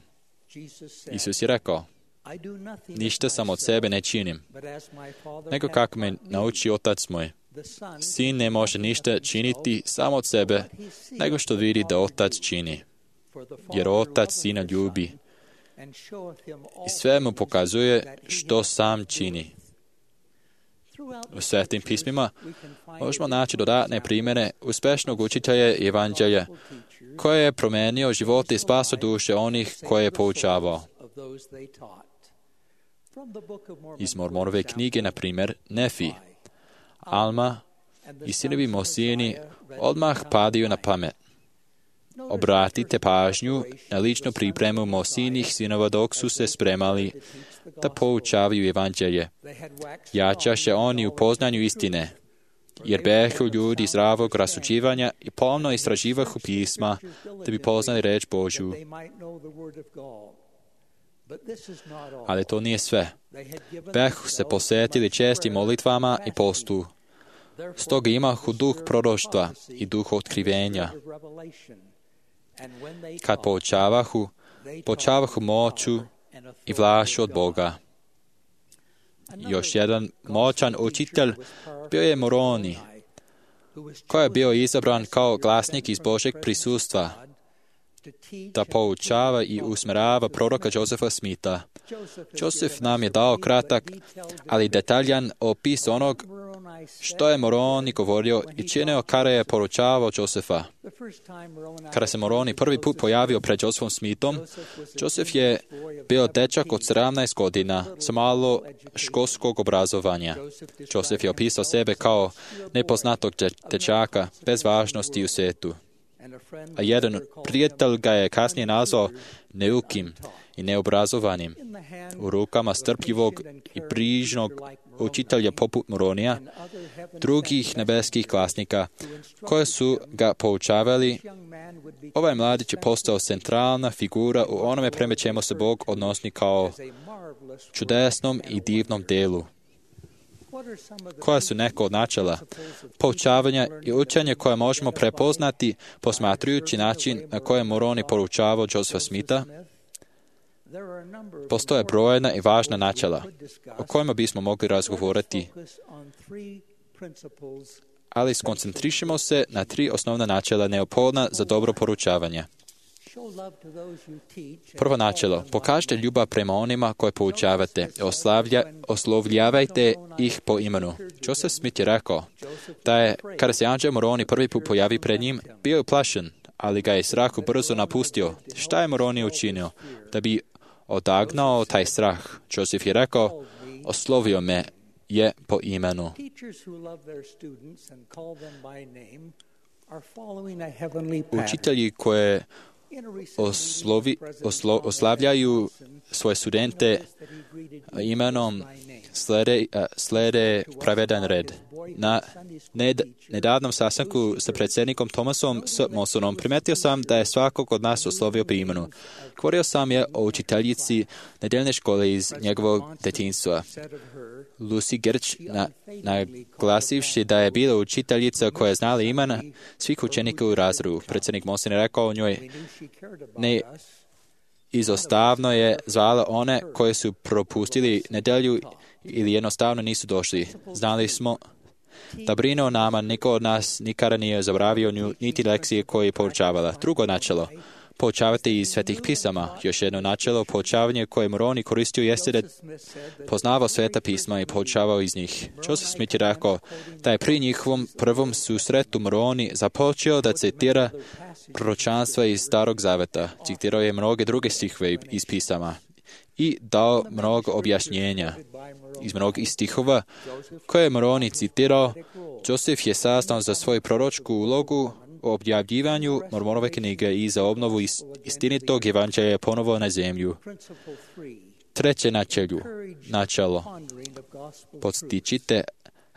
Isus je rekao, ništa sam od sebe ne činim, nego kako me nauči Otac moj. Sin ne može ništa činiti samo od sebe, nego što vidi da Otac čini, jer Otac Sina ljubi i sve mu pokazuje što sam čini. U svetim pismima možemo naći dodatne primjere uspešnog učitelja evanđelja koje je promenio živote i spasio duše onih koje je poučavao. Iz Mormonove knjige, na primjer, Nefi, Alma i sinovi Mosijini odmah padaju na pamet. Obratite pažnju na ličnu pripremu Mosijinih sinova dok su se spremali da poučavaju evanđelje. Jačaše oni u poznanju istine, jer behu ljudi zdravog rasuđivanja i pomno istraživahu pisma da bi poznali reč Božju. Ali to nije sve. Behu se posvetili čestim molitvama i postu. Stoga imahu duh proroštva i duh otkrivenja. Kad poučavahu, poučavahu moću i vlašću od Boga. Još jedan moćan učitelj bio je Moroni, koji je bio izabran kao glasnik iz Božeg prisustva, da poučava i usmerava proroka Josefa Smitha. Joseph nam je dao kratak, ali detaljan opis onog što je Moroni govorio i činio kada je poručavao Josefa. Kada se Moroni prvi put pojavio pred Josephom Smithom, Joseph je bio dečak od sedamnaest godina sa malo školskog obrazovanja. Joseph je opisao sebe kao nepoznatog dečaka bez važnosti u svijetu. A jedan prijatelj ga je kasnije nazvao neukim i neobrazovanim, u rukama strpljivog i brižnog učitelja poput Moronija, drugih nebeskih glasnika, koje su ga poučavali, ovaj mladić je postao centralna figura u onome prema čemu se Bog odnosi kao čudesnom i divnom delu. Koja su neka od načela poučavanja i učenja koje možemo prepoznati posmatrujući način na koji je Moroni poručavao Josepha Smitha? Postoje brojna i važna načela o kojima bismo mogli razgovoriti, ali skoncentrišimo se na tri osnovna načela neophodna za dobro poručavanje. Prvo načelo, pokažite ljubav prema onima koje poučavate, oslavlja, oslovljavajte ih po imenu. Joseph Smith je rekao da je, kada se anđeo Moroni prvi put pojavi pred njim, bio je uplašen, ali ga je strah brzo napustio. Šta je Moroni učinio da bi odagnao taj strah? Joseph je rekao, oslovio me je po imenu. Učitelji koje oslovi, oslo, oslavljaju svoje studente imenom slede, slede pravedan red. Na ned, nedavnom sastanku sa predsjednikom Thomasom S. Monsonom primetio sam da je svakog od nas oslovio po imenu. Govorio sam je o učiteljici nedeljne škole iz njegovog detinjstva. Lucy Gerč, na, naglasivši da je bila učiteljica koja je znala imena svih učenika u razredu. Predsjednik Monson je rekao o njoj, ne izostavno je zvala one koje su propustili nedelju ili jednostavno nisu došli. Znali smo da brine o nama, niko od nas nikada nije zaboravio nju, niti lekcije koje je poučavala. Drugo načelo, poučavati iz svetih pisama. Još jedno načelo, poučavanje koje Moroni koristio jeste da poznavao sveta pisma i poučavao iz njih. Joseph Smith je rekao da je pri njihovom prvom susretu Moroni započeo da citira proročanstva iz Starog Zaveta. Citirao je mnoge druge stihove iz pisama i dao mnogo objašnjenja. Iz mnogih stihova koje je Moroni citirao, Joseph je saznao za svoju proročku ulogu o objavljivanju Mormonove knjige i za obnovu istinitog evanđelja ponovo na zemlju. Treće načelo, načelo. Podstičite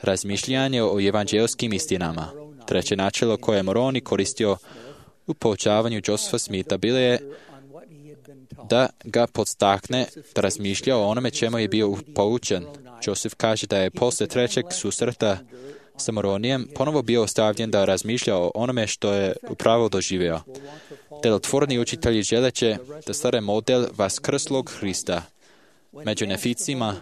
razmišljanje o evanđelskim istinama. Treće načelo koje je Moroni koristio u poučavanju Josepha Smitha bilo je da ga podstakne da razmišlja o onome čemu je bio poučen. Joseph kaže da je posle trećeg susreta sa Moronijem ponovo bio ostavljen da razmišlja o onome što je upravo doživio. Delotvorni učitelji želeće da stvore model vaskrslog Hrista. Među neficima,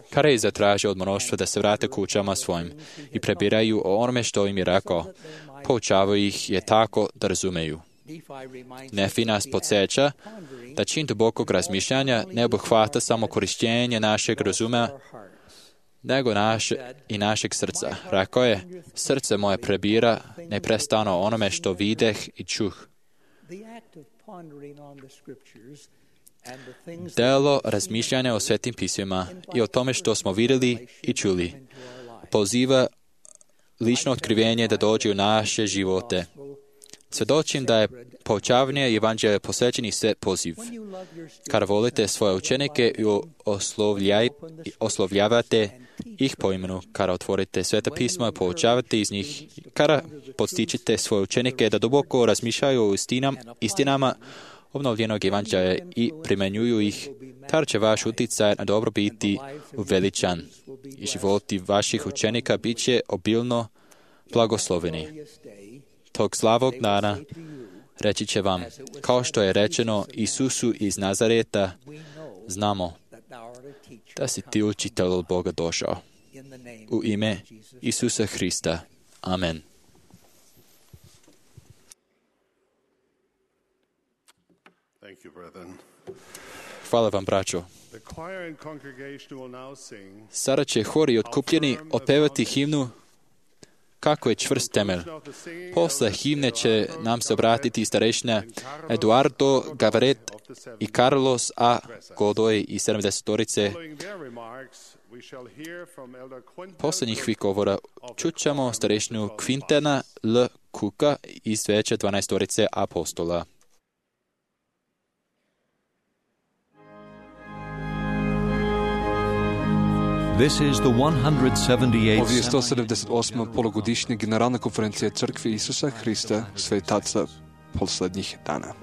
kada je zatražio od mnoštva da se vrate kućama svojim i prebiraju o onome što im je rekao, poučavao ih je tako da razumeju. Nefi nas podsjeća da čin dubokog razmišljanja ne obuhvata samo korištenje našeg razuma, nego naše i našeg srca. Rekao je, srce moje prebira neprestano onome što videh i čuh. Delo razmišljanja o svetim pismima i o tome što smo vidjeli i čuli poziva lično otkrivenje da dođe u naše živote. Svjedočim da je poučavanje evanđelja posvećeni sve poziv. Kada volite svoje učenike i oslovljaj, oslovljavate ih po imenu, kada otvorite sveta pisma i poučavate iz njih, kada podstičite svoje učenike da duboko razmišljaju o istinam, istinama obnovljenog evanđelja i primjenjuju ih, tada će vaš utjecaj na dobro biti uveličan i životi vaših učenika bit će obilno blagosloveni. Tog slavog dana reći će vam, kao što je rečeno Isusu iz Nazareta, znamo da si ti učitelj od Boga došao. U ime Isusa Hrista. Amen. Hvala vam, braćo. Sada će hori otkupljeni otpevati himnu Kako je čvrst temelj. Posle himne će nam se obratiti starešina Eduardo Gavaret i Carlos A. Godoy i sedamdesetorice. Posle njihovih govora čućemo starešinu Quintana L. Cooka iz veće dvanaestorice apostola. This is the one hundred seventy-eighth Ovo je sto sedamdeset osma polugodišnja generalna konferencija Crkve Isusa Hrista, svetaca poslednjih dana.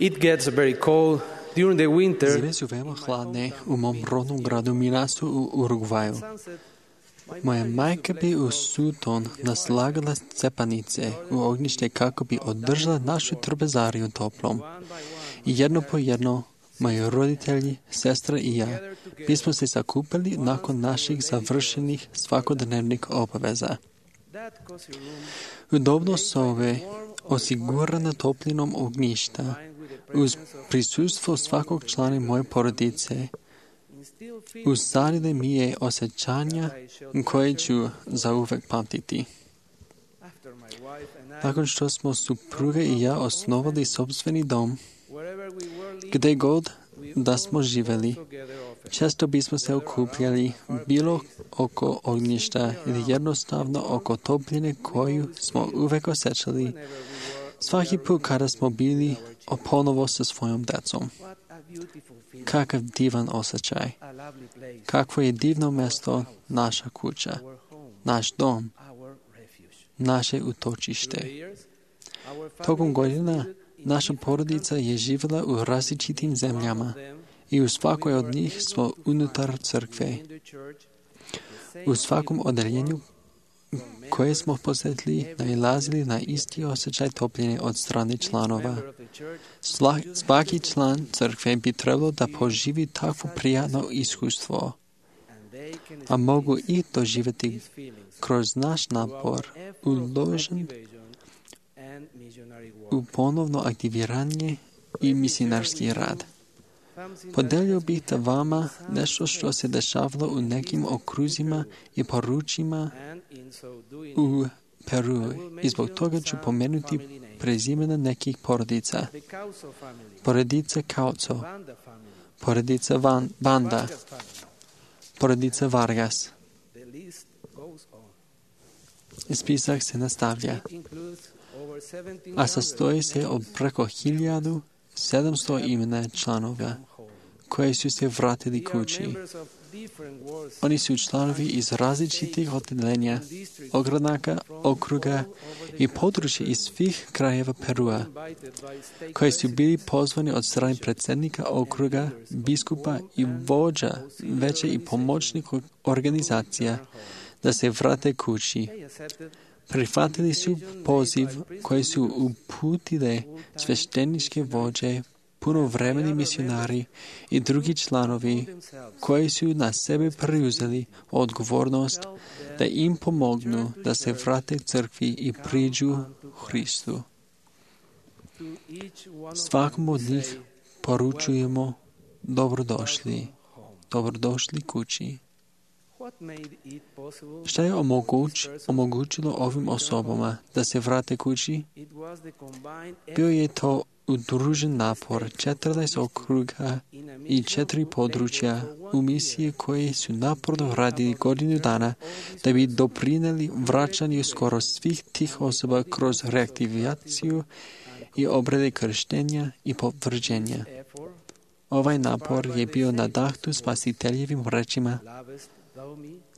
It gets very cold during the winter. Zime su veoma hladne u mom rodnom gradu Minasu u Urugvaju. Moja majka bi u suton naslagala cepanice u ognjište kako bi održala našu trpezariju toplom. I jedno po jedno, moji roditelji, sestra i ja, bismo se sakupili nakon naših završenih svakodnevnih obaveza. Udobno sobe, osigurana toplinom ognjišta, uz prisustvo svakog člana moje porodice, usadile mi je osjećanja koje ću zauvek pamtiti. Nakon što smo supruga i ja osnovali sopstveni dom, gde god da smo živeli, često bismo se okupljali bilo oko ognjišta ili jednostavno oko topline koju smo uvek osjećali svaki put kada smo bili ponovo sa svojom decom. Kakav divan osjećaj. Kakvo je divno mesto naša kuća, naš dom, naše utočište. Tokom godina naša porodica je živjela u različitim zemljama i u svakoj od njih smo unutar crkve. U svakom odeljenju koje smo posjetili nailazili na isti osjećaj topline od strane članova. Svaki član crkve bi trebalo da poživi takvo prijatno iskustvo, a mogu i doživjeti kroz naš napor uložen u ponovno aktiviranje i misionarski rad. Podelio bih da vama nešto što se dešavalo u nekim okruzima i poručima u Peru i zbog toga ću pomenuti prezimena nekih porodica. Porodica Kauco, porodica Van, Banda, porodica Vargas. Spisak se nastavlja, a sastoji se od preko hiljadu sedamsto imena članova koji su se vratili kući. Oni su članovi iz različitih odeljenja, ogranaka, okruga i područja iz svih krajeva Perua, koji su bili pozvani od strane predsjednika okruga, biskupa i vođa veće i pomoćnih organizacija da se vrate kući. Prihvatili su poziv koji su uputile svešteničke vođe, punovremeni misionari i drugi članovi koji su na sebe preuzeli odgovornost da im pomognu da se vrate crkvi i priđu Hristu. Svakom od njih poručujemo dobrodošli, dobrodošli kući. Šta je omoguć, omogućilo ovim osobama da se vrate kući? Bio je to udružen napor četrnaest okruga i četiri područja u misije koje su naporno radili godinu dana da bi doprinijeli vraćanju skoro svih tih osoba kroz reaktivaciju i obrade krštenja i potvrđenja. Ovaj napor je bio nadahnut spasiteljevim rečima: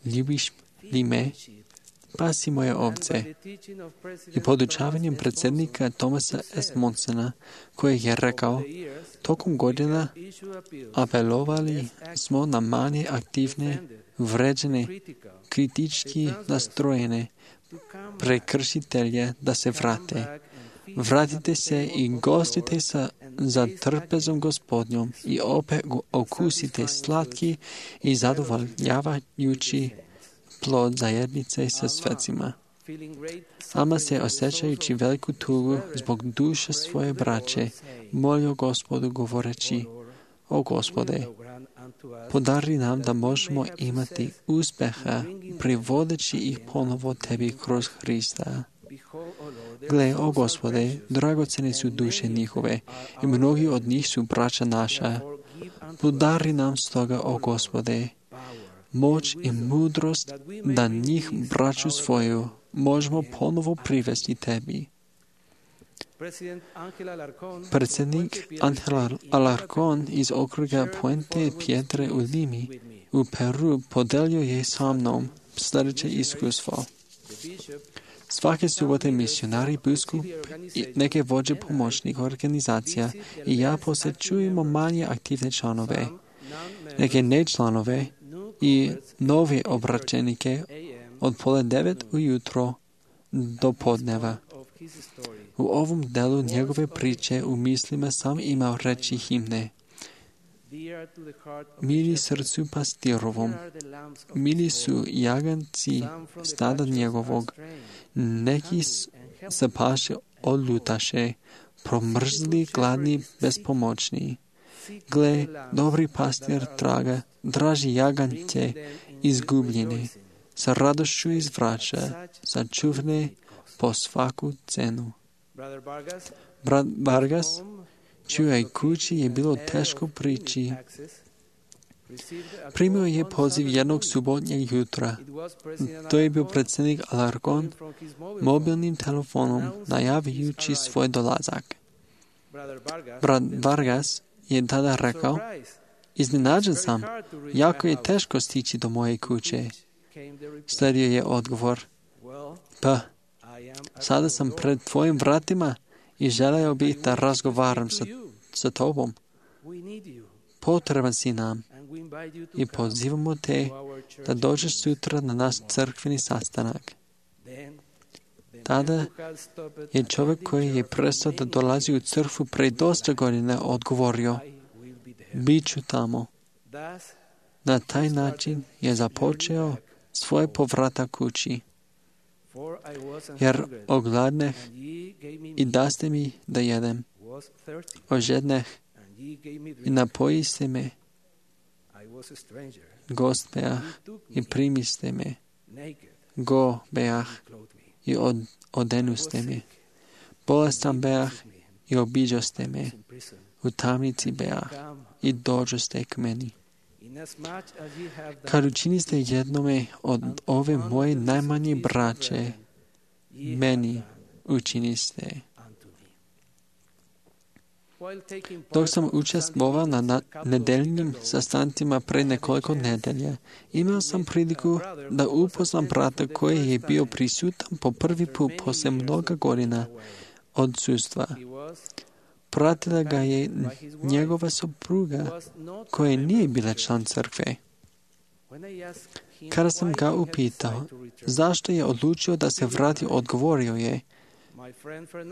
ljubiš li me, pasi moje ovce, i podučavanjem predsjednika Thomasa S. Monsona, koji je rekao: tokom godina apelovali smo na manje aktivne, vređene, kritički nastrojene prekršitelje da se vrate. Vratite se i gostite sa za trpezom Gospodnjom i opet okusite slatki i zadovoljavajući plod zajednice sa svecima. Ama se osjećajući veliku tugu zbog duše svoje braće, molio Gospodu govoreći: o Gospode, podari nam da možemo imati uspjeha privodeći ih ponovo tebi kroz Hrista. Gle, o Gospode, dragocene su duše njihove i mnogi od njih su braća naša. Podari nam stoga, o Gospode, moć i mudrost da njih, braću svoju, možemo ponovo privesti tebi. Predsjednik Angel Alarcón iz okruga Puente Piedre u Limi u Peru podelio je sa mnom sljedeće iskustvo. Svake subote misionari, biskup i neke vođe pomoćnih organizacija i ja posjećujemo manje aktivne članove, neke nečlanove i nove obraćenike od pola devet ujutro do podneva. U ovom delu njegove priče u mislima sam imao reći himne: mili srcu pastirovom, mili su jaganci stada njegovog, neki se paše odlutaše, promrzli, gladni, bespomoćni. Gle, dobri pastir traga, draži jagance izgubljene, sa radošću izvraća, sačuvne po svaku cenu. Brat Vargas, čijoj kući je bilo teško prići, primio je poziv jednog subotnjeg jutra. To je bio predsjednik Alarcón mobilnim telefonom najavljujući svoj dolazak. Brat Vargas je tada rekao: iznenađen sam, jako je teško stići do moje kuće. Slijedio je odgovor: pa, sada sam pred tvojim vratima i želeo bih da razgovaram sa, sa tobom. Potreban si nam i pozivamo te da dođeš sutra na naš crkveni sastanak. Tada je čovjek koji je prestao da dolazi u crkvu pre dosta godina odgovorio: bit ću tamo. Na taj način je započeo svoj povratak kući. Jer ogladneh i daste mi da jedem, ožedneh i napojiste me, gost beah i primiste me, go beah i od, odenuste me. Bolestan beah i obiđoste me. U tamnici beah i dođoste k meni. Kad učiniste jednome od ove moje najmanje braće, meni učiniste. Dok sam učestvovao na, na nedeljnim sastancima pre nekoliko nedelja, imao sam priliku da upoznam brata koji je bio prisutan po prvi put posle mnoga godina odsustva. Pratila ga je njegova supruga koja nije bila član crkve. Kada sam ga upitao zašto je odlučio da se vrati, odgovorio je: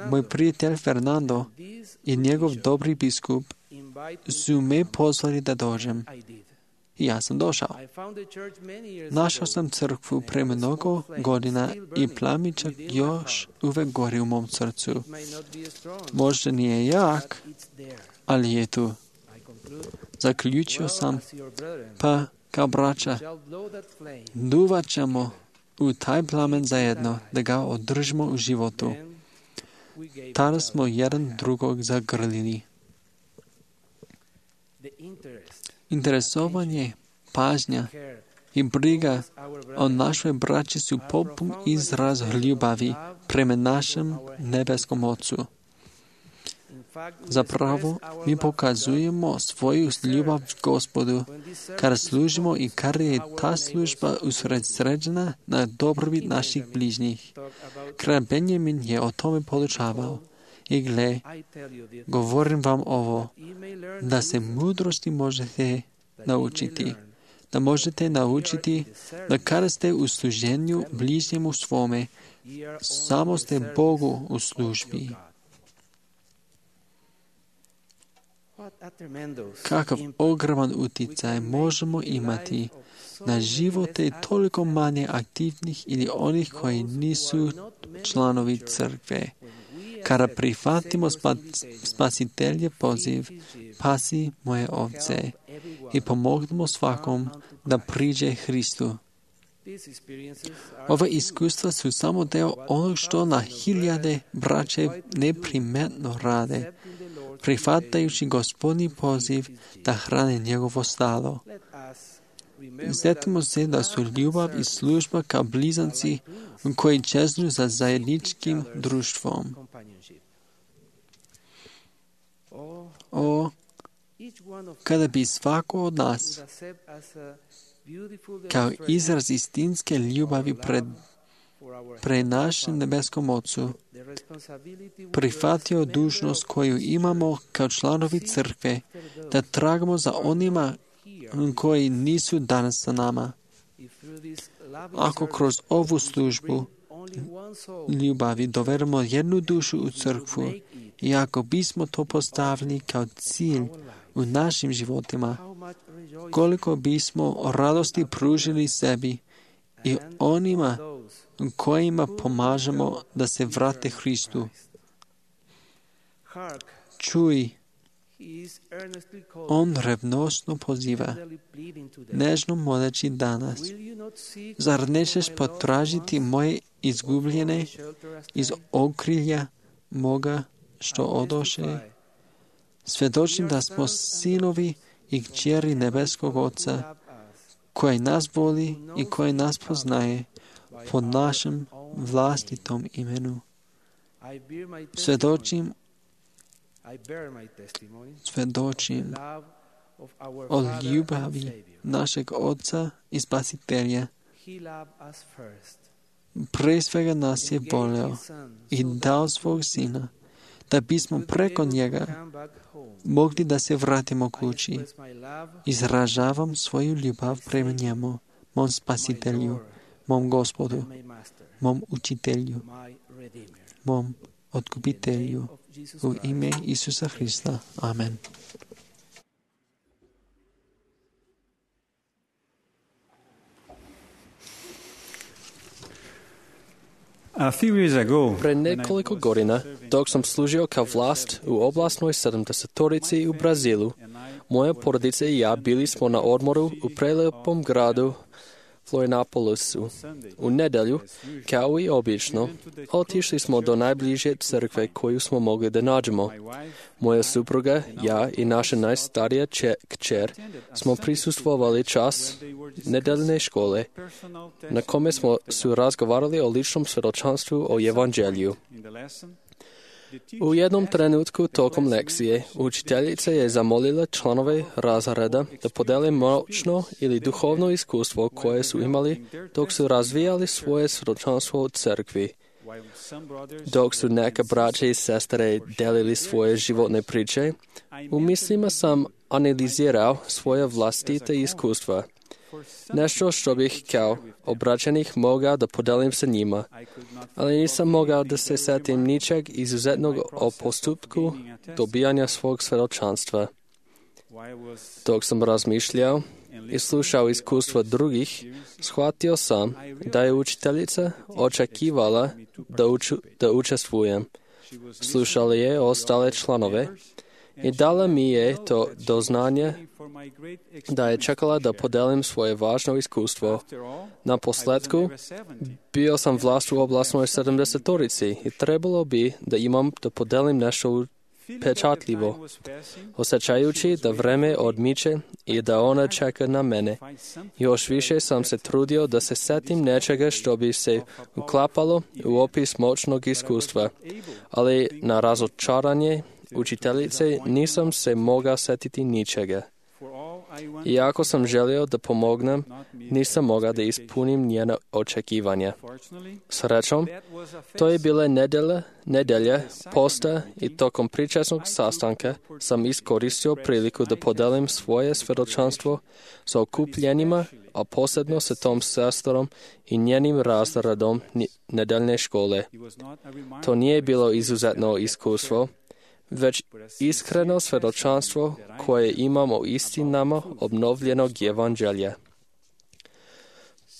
moj prijatelj Fernando i njegov dobri biskup su me pozvali da dođem. I ja sam došao. Našao sam crkvu pre mnogo godina i plamičak još uvek gori u mom srcu. Možda nije jak, ali je tu. Zaključio sam, pa kao braća, duvat ćemo u taj plamen zajedno, da ga održimo u životu. Tada smo jedan drugog zagrlili. Interesovanje, pažnja i briga o našoj braći su popun izraz ljubavi prema našem nebeskom Ocu. Zapravo, mi pokazujemo svoju ljubav Gospodu kada služimo i kada je ta služba usredsređena na dobrobit naših bližnjih. Kralj Benjamin je o tome podučavao. I gle, govorim vam ovo, da se mudrosti možete naučiti, da možete naučiti da kada ste u služenju bližnjemu svome, samo ste Bogu u službi. Kakav ogroman uticaj možemo imati na živote toliko manje aktivnih ili onih koji nisu članovi crkve. Kada prihvatimo spasitelje poziv, pasi moje ovce i pomognemo svakom da priđe Hristu. Ova iskustva su samo deo onog što na hiljade braće neprimetno rade, prihvatajući Gospodnji poziv da hrane njegovo stado. Sjetimo se da su ljubav i služba kao blizanci koji čeznu za zajedničkim društvom. O, kada bi svako od nas kao izraz istinske ljubavi pred, pre našem nebeskom Ocu prihvatio dužnost koju imamo kao članovi crkve, da tragamo za onima koji nisu danas sa nama. Ako kroz ovu službu ljubavi dovedemo jednu dušu u crkvu i ako bismo to postavili kao cilj u našim životima, koliko bismo radosti pružili sebi i onima kojima pomažemo da se vrate Hristu. Čuj, on revnosno poziva, nežno moleći danas. Zar nećeš potražiti moje izgubljene iz okrilja moga što odoše? Svedočim da smo sinovi i kćeri nebeskog Oca, koji nas voli i koji nas poznaje po našem vlastitom imenu. Svedočim Svedočim o ljubavi našeg Oca i Spasitelja. Pre svega nas je voleo i dao svog Sina, da bismo preko njega mogli da se vratimo kući. Izražavam svoju ljubav prema njemu, mom Spasitelju, mom Gospodu, mom Učitelju, mom Otkupitelju, u ime Isusa Hrista. Amen. Pre nekoliko godina, dok sam služio kao vlast u oblastnoj sedamdesetorici u Brazilu, moja porodica i ja bili smo na odmoru u prelepom gradu Florianopolusu. U nedelju, kao i obično, otišli smo do najbliže crkve koju smo mogli da nađemo. Moja supruga, ja i naša najstarija če- kćer smo prisustvovali čas nedeljne škole, na kome smo su razgovarali o ličnom svjedočanstvu o evanđelju. U jednom trenutku tokom lekcije učiteljica je zamolila članove razreda da podele moćno ili duhovno iskustvo koje su imali dok su razvijali svoje svjedočanstvo u crkvi. Dok su neka braća i sestre delili svoje životne priče, u mislima sam analizirao svoje vlastite iskustva. Nešto što bih kao obraćenih mogao da podelim sa njima, ali nisam mogao da se setim ničeg izuzetnog o postupku dobijanja svog svjedočanstva. Dok sam razmišljao i slušao iskustva drugih, shvatio sam da je učiteljica očekivala da, uču, da učestvujem. Slušala je ostale članove i dala mi je to doznanje da je čekala da podelim svoje važno iskustvo. Na posledku, bio sam vlast u oblastnoj sedamdesetorici i trebalo bi da imam da podelim nešto pečatljivo, osjećajući da vreme odmiče i da ona čeka na mene. Još više sam se trudio da se setim nečega što bi se uklapalo u opis moćnog iskustva, ali na razočaranje učiteljice nisam se mogao setiti ničega. Iako sam želio da pomognem, nisam mogao da ispunim njena očekivanja. Srećom, to je bila nedelja, nedelja posta i tokom pričasnog sastanka sam iskoristio priliku da podelim svoje svjedočanstvo sa okupljenima, a posebno sa tom sestrom i njenim razredom nedeljne škole. To nije bilo izuzetno iskustvo, već iskreno svjedočanstvo koje imamo o istinama obnovljenog evanđelja.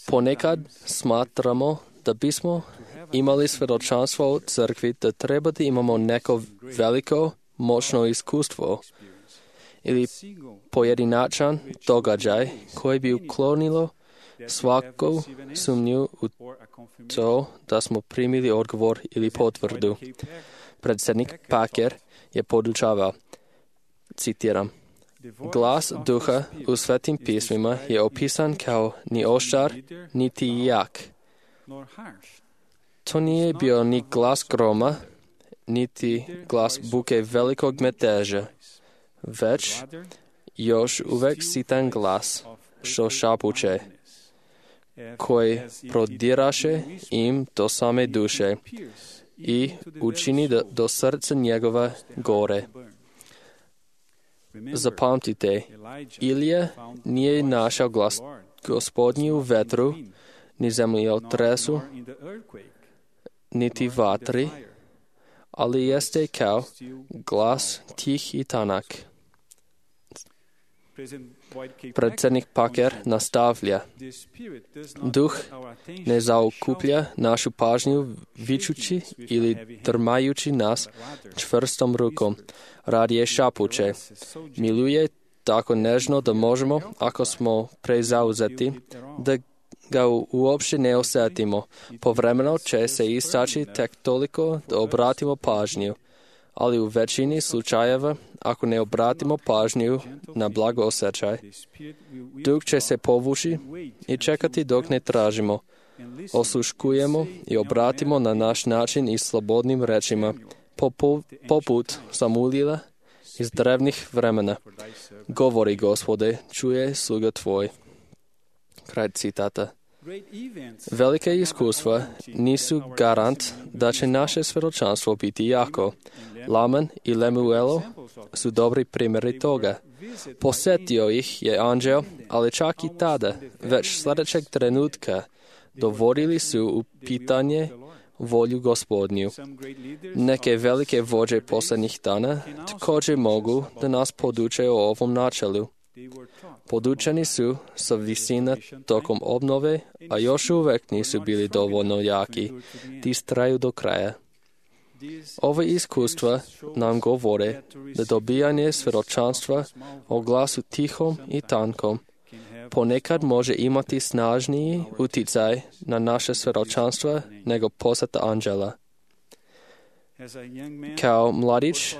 Ponekad smatramo da bismo imali svjedočanstvo u crkvi da treba da imamo neko veliko, moćno iskustvo ili pojedinačan događaj koji bi uklonilo svaku sumnju u to da smo primili odgovor ili potvrdu. Predsjednik Packer je podučavao, citiram, glas duha u svetim pismima je opisan kao ni oštar, niti jak. To nije bio ni glas groma, niti glas buke velikog meteža, već još uvek sitan glas, što šapuće, koji prodiraše im do same duše i učini do, do srca njegova gore. Zapamtite, Ilija nije našao glas Gospodnji u vetru, ni zemljotresu, niti vatri, ali jeste kao glas tih i tanak. Predsjednik Packer nastavlja. Duh ne zaokuplja našu pažnju vičući ili drmajući nas čvrstom rukom. Radije šapuće. Miluje tako nežno da možemo, ako smo prezauzeti, da ga uopšte ne osjetimo. Povremeno će se istaći tek toliko da obratimo pažnju, ali u većini slučajeva, ako ne obratimo pažnju na blagoosjećaj, duh će se povući i čekati dok ne tražimo, osluškujemo i obratimo na naš način i slobodnim rečima, poput Samulila iz drevnih vremena. Govori, Gospode, čuje sluga tvoj. Kraj citata. Velike iskustva nisu garant da će naše svjedočanstvo biti jako. Laman i Lemuelo su dobri primjeri toga. Posjetio ih je anđeo, ali čak i tada, već sljedećeg trenutka, dovodili su u pitanje volju Gospodnju. Neke velike vođe posljednjih dana također mogu da nas poduče o ovom načelu. Podučeni su sa visina tokom obnove, a još uvek nisu bili dovoljno jaki da istraju do kraja. Ove iskustva nam govore da dobijanje svjedočanstva o glasu tihom i tankom ponekad može imati snažniji uticaj na naše svjedočanstvo nego posjeta anđela. Kao mladić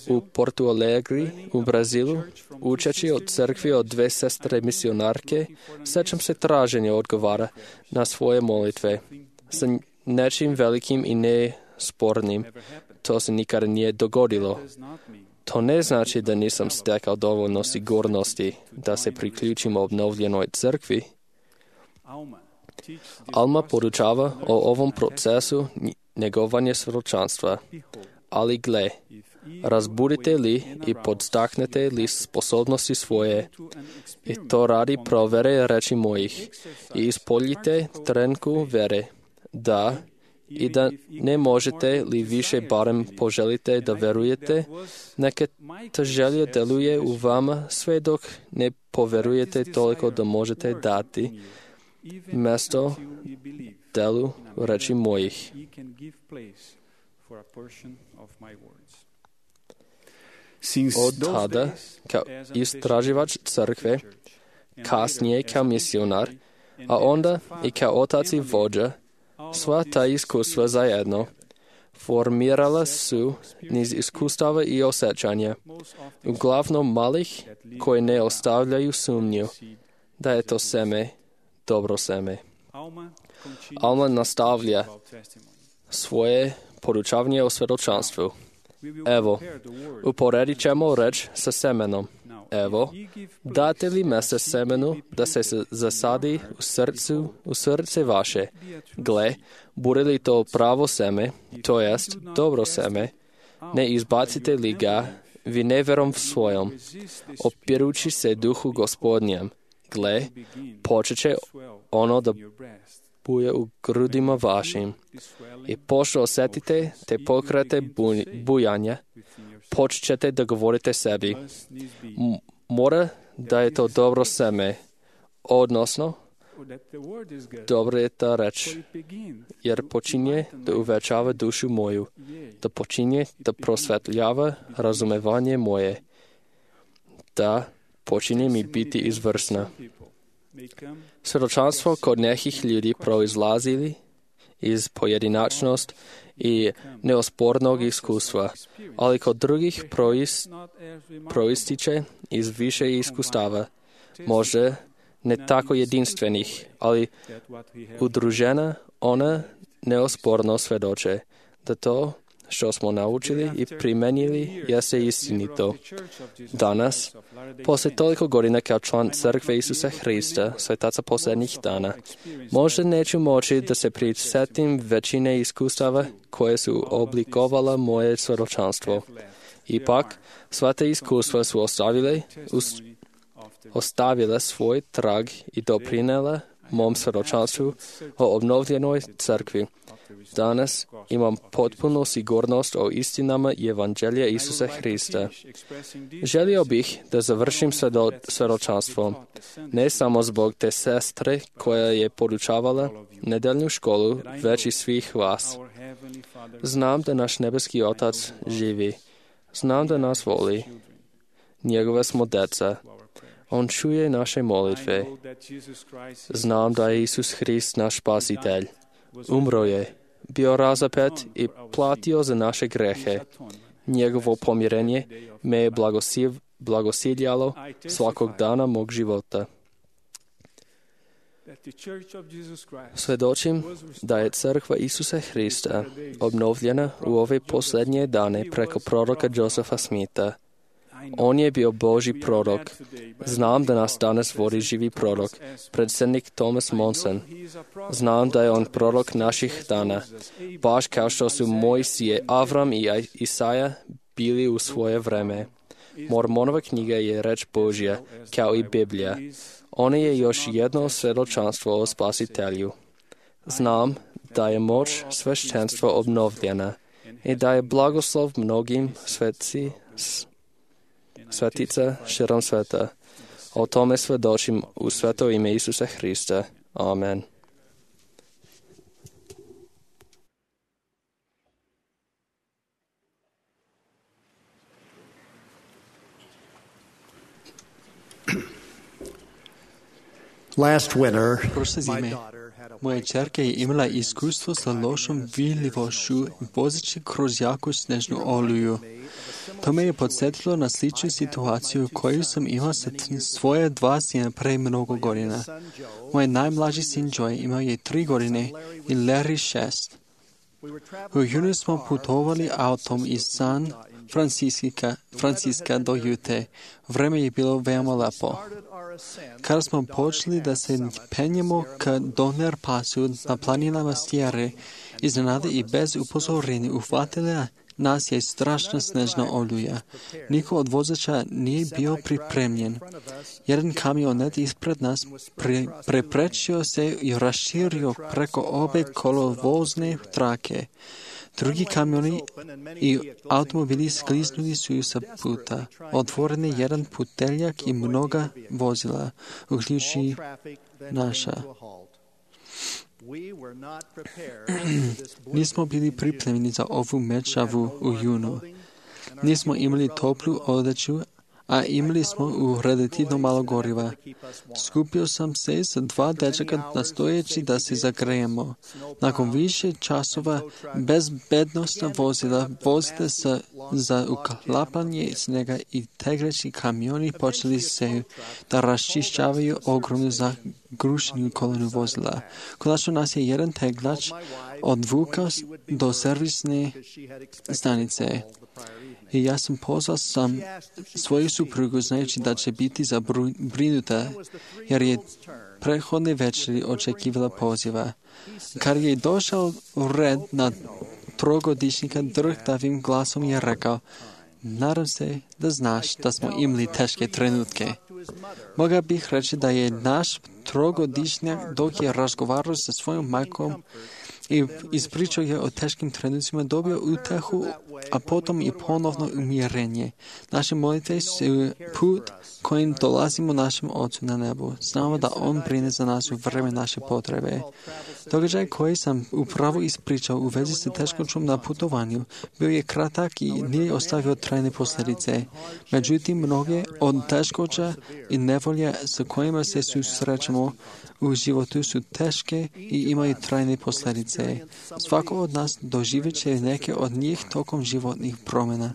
u Porto Alegre u Brazilu, učeći od crkvi od dve sestre misionarke, sećam se traženja odgovara na svoje molitve sa nečim velikim i nespornim. To se nikada nije dogodilo. To ne znači da nisam stekao dovoljno sigurnosti da se priključim obnovljenoj crkvi. Alma podučava o ovom procesu njegovanja svjedočanstva. Ali gle, razbudite li i podstaknete li sposobnosti svoje, i to radi provere reči mojih, i ispoljite trenku vere, da i da ne možete li više barem poželite da verujete, neka ta želja deluje u vama sve dok ne poverujete toliko da možete dati mjesto delu reči mojih. Od tada, kao istraživač crkve, kasnije kao misionar, a onda i kao otac i vođa, sva ta iskustva zajedno formirala su niz iskustava i osjećanja, uglavnom malih, koje ne ostavljaju sumnju da je to seme, dobro seme. Alma nastavlja svoje podučavanje o svjedočanstvu. Evo, uporedit ćemo reč sa semenom. Evo, date li mjesta semenu da se zasadi u srcu, u srce vaše? Gle, bude li to pravo seme, to jest dobro seme, ne izbacite li ga vi neverom svojom, opirući se duhu Gospodnjem. Gle, počet će ono da buje u grudima vašim. I pošto osjetite te pokrete bujanja, počet ćete da govorite sebi. M- mora da je to dobro seme, odnosno dobro je ta reč, jer počinje da uvećava dušu moju, da počinje da prosvetljava razumevanje moje, da počinje mi biti izvrsna. Svjedočanstvo kod nekih ljudi proizlazili iz pojedinačnost i neospornog iskustva, ali kod drugih proist, proističe iz više iskustava, možda ne tako jedinstvenih, ali udružena ona neosporno svjedoče da to što smo naučili i primenili jeste istinito. Danas, poslije toliko godina kao član Crkve Isusa Hrista, svetaca posljednjih dana, možda neću moći da se prisjetim većine iskustava koje su oblikovala moje svjedočanstvo. Ipak, sva te iskustva su ostavile, us, ostavile svoj trag i doprinela mom svjedočanstvu o obnovljenoj crkvi. Danas imam potpunu sigurnost o istinama Evanđelja Isusa Hrista. Želio bih da završim svedo, svjedočanstvom, ne samo zbog te sestre koja je podučavala nedeljnu školu, već i svih vas. Znam da naš nebeski Otac živi. Znam da nas voli. Njegove smo deca. On čuje naše molitve. Znam da je Isus Hrist naš spasitelj. Umro je, bio razapet i platio za naše grehe. Njegovo pomirenje me je blagosiljalo svakog dana mog života. Svedočim da je crkva Isusa Hrista obnovljena u ove posljednje dane preko proroka Josefa Smitha. On je bio Božji prorok. Znam da nas danas vodi živi prorok, predsjednik Thomas Monson. Znam da je on prorok naših dana, baš kao što su Mojsije, Avram i Isaja bili u svoje vreme. Mormonova knjiga je reč Božja, kao i Biblija. Ona je još jedno svjedočanstvo o spasitelju. Znam da je moć sveštenstva obnovljena i da je blagoslov mnogim sveci svetica širom sveta. O tome svedočim u sveto ime Isusa Hrista. Amen. Last winter, Prošle zime, moja čerka je imala iskustvo sa lošom vidljivošću vozeći kroz jaku snežnu oluju. To me je podsjetilo na sličnu situaciju koju sam imao sa svoje dva sina pre mnogo godina. Moj najmlađi sin Joy imao je tri godine i Larry šest. U junu smo putovali autom iz San Francisca, Francisca do Jute. Vreme je bilo veoma lepo. Kada smo počeli da se penjemo ka Donner Passu na planinama Sierre, iznenada i bez upozorenja uhvatila nas je strašna snežna oluja. Niko od vozača nije bio pripremljen. Jedan kamionet ispred nas pre, preprečio se i raširio preko obe kolovozne trake. Drugi kamioni i automobili skliznuli su sa puta. Otvoren je jedan puteljak i mnoga vozila, uključujući naša. Nismo bili pripremljeni za ovu mečavu u junu. Nismo imali toplu odeću, a imali smo u relativno malo goriva. Skupio sam se sa dva dečaka nastojeći da se zagrejemo. Nakon više časova bezbednostna vozila vozite sa, za uklapanje snega i tegreći kamioni počeli se da raščišćavaju ogromnu zagrušenu kolonu vozila. Konačno nas je jedan teglač odvukao do servisne stanice. I ja sam pozvao sam svoju suprugu znajući da će biti zabrinuta jer je prethodne večeri očekivala poziva. Kad je došao u red na trogodišnjaka, drhtavim glasom je rekao: nadam se da znaš da smo imali teške trenutke. Mogao bih reći da je naš trogodišnjak dok je razgovarao sa svojom majkom i ispričao je o teškim trenucima, dobio utehu, a potom i ponovno umirenje. Naše molitve su put kojim dolazimo našem Ocu na nebu. Znamo da On brine za nas u vreme naše potrebe. Događaj koji sam upravo ispričao u vezi sa teškoćom na putovanju bio je kratak i nije ostavio trajne posljedice. Međutim, mnoge od teškoća i nevolja sa kojima se susrećemo u životu su teške i imaju trajne posljedice. Svako od nas doživjet će neke od njih tokom životnih promjena.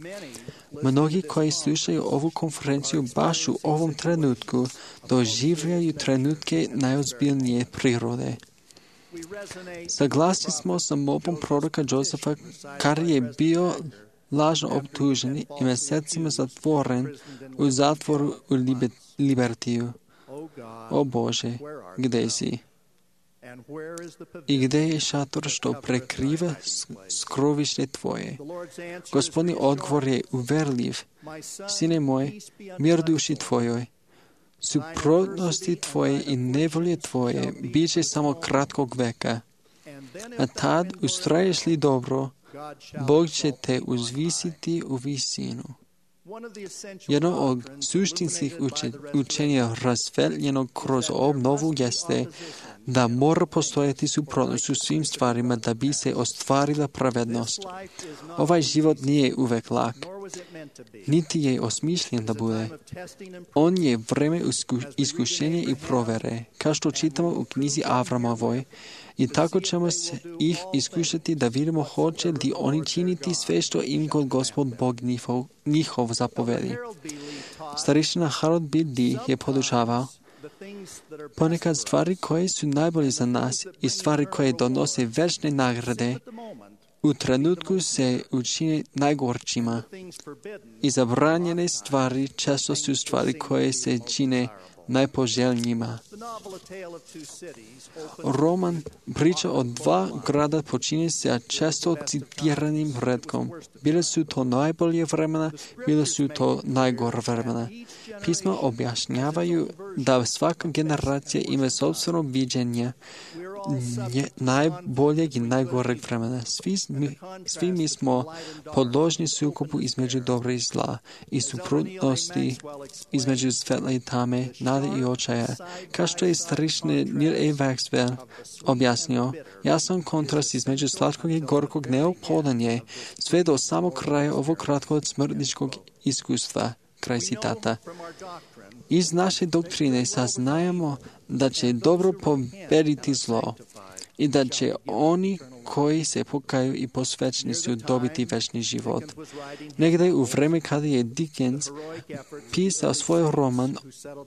Mnogi koji slušaju ovu konferenciju baš u ovom trenutku doživljaju trenutke najozbiljnije prirode. Saglasni smo sa molbom proroka Josefa, kad je bio lažno optužen i mjesecima zatvoren u zatvoru u Libertiju. O Bože, gdje si? I gdje je šator što prekriva skrovište Tvoje? Gospodin odgovor je uverljiv. Sine moj, mir duši Tvojoj. Suprotnosti Tvoje i nevolje Tvoje bit će samo kratkog veka. A tad, ustraješ li dobro, Bog će te uzvisiti u visinu. Jedno od suštinskih učenja razvetljenog kroz obnovu jeste da mora postojati suprotnost u svim stvarima da bi se ostvarila pravednost. Ovaj život nije uvek lak, niti je osmišljen da bude. On je vreme iskušenja i provere, kao što čitamo u knjizi Avramovoj, i tako ćemo se ih iskušati da vidimo hoće li oni činiti sve što im kod Gospod Bog njihov, njihov zapovedi. Starešina Harold B. Lee je podučavao: ponekad stvari koje su najbolje za nas i stvari koje donose večne nagrade u trenutku se učine najgorčima. I zabranjene stvari često su stvari koje se čine najpoželjnijima. Roman priča o dva grada počinje se često citiranim redkom. Bile su to najbolje vremena, bile su to najgore vremena. Pisma objašnjavaju da svaka generacija ima sobstveno viđenje najboljeg i najgoreg vremena. Svi mi, svi mi smo podložni sukobu između dobra i zla i suprotnosti između svetla i tame, nade i očaja. Kao što je starešina Neil A. Maxwell objasnio, jasan kontrast između slatkog i gorkog neophodan je sve do samog kraja ovog kratkog smrtničkog iskustva. Kraj citata. Iz naše doktrine saznajemo da će dobro pobediti zlo i da će oni koji se pokaju i posvećeni su dobiti večni život. Negdje u vreme kada je Dickens pisao svoj roman,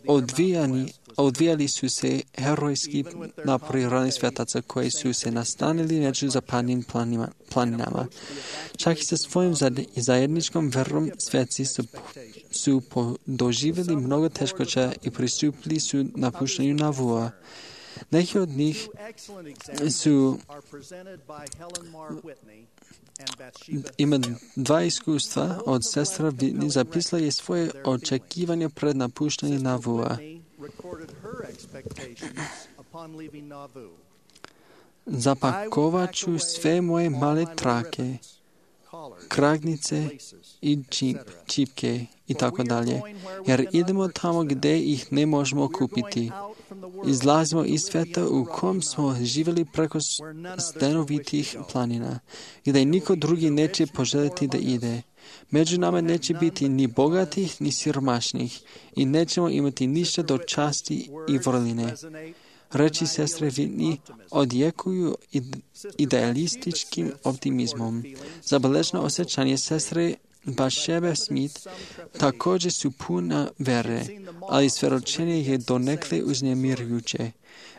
odvijani, odvijali su se herojski napori ranih svetaca koji su se nastanili među zapadnim planima, planinama. Čak i sa svojim zajedničkom verom sveci su, su doživjeli mnogo teškoća i pristupili su napuštanju Navua. Neki od njih su ima dva iskustva od sestra Whitney, zapisala je svoje očekivanje pred napuštanjem Navua. Zapakovat ću sve moje male trake, kragnice i čip, čipke i tako dalje, jer idemo tamo gdje ih ne možemo kupiti. Izlazimo iz sveta u kom smo živjeli preko stenovitih planina, gdje niko drugi neće poželjeti da ide. Među nama neće biti ni bogatih, ni siromašnih i nećemo imati ništa do časti i vrline. Reči sestre Whitney odjekuju idealističkim optimizmom. Zabeleženo osjećanje sestre Bathsheba Smith također su puna vere, ali svedočenje je donekle uznemirujuće.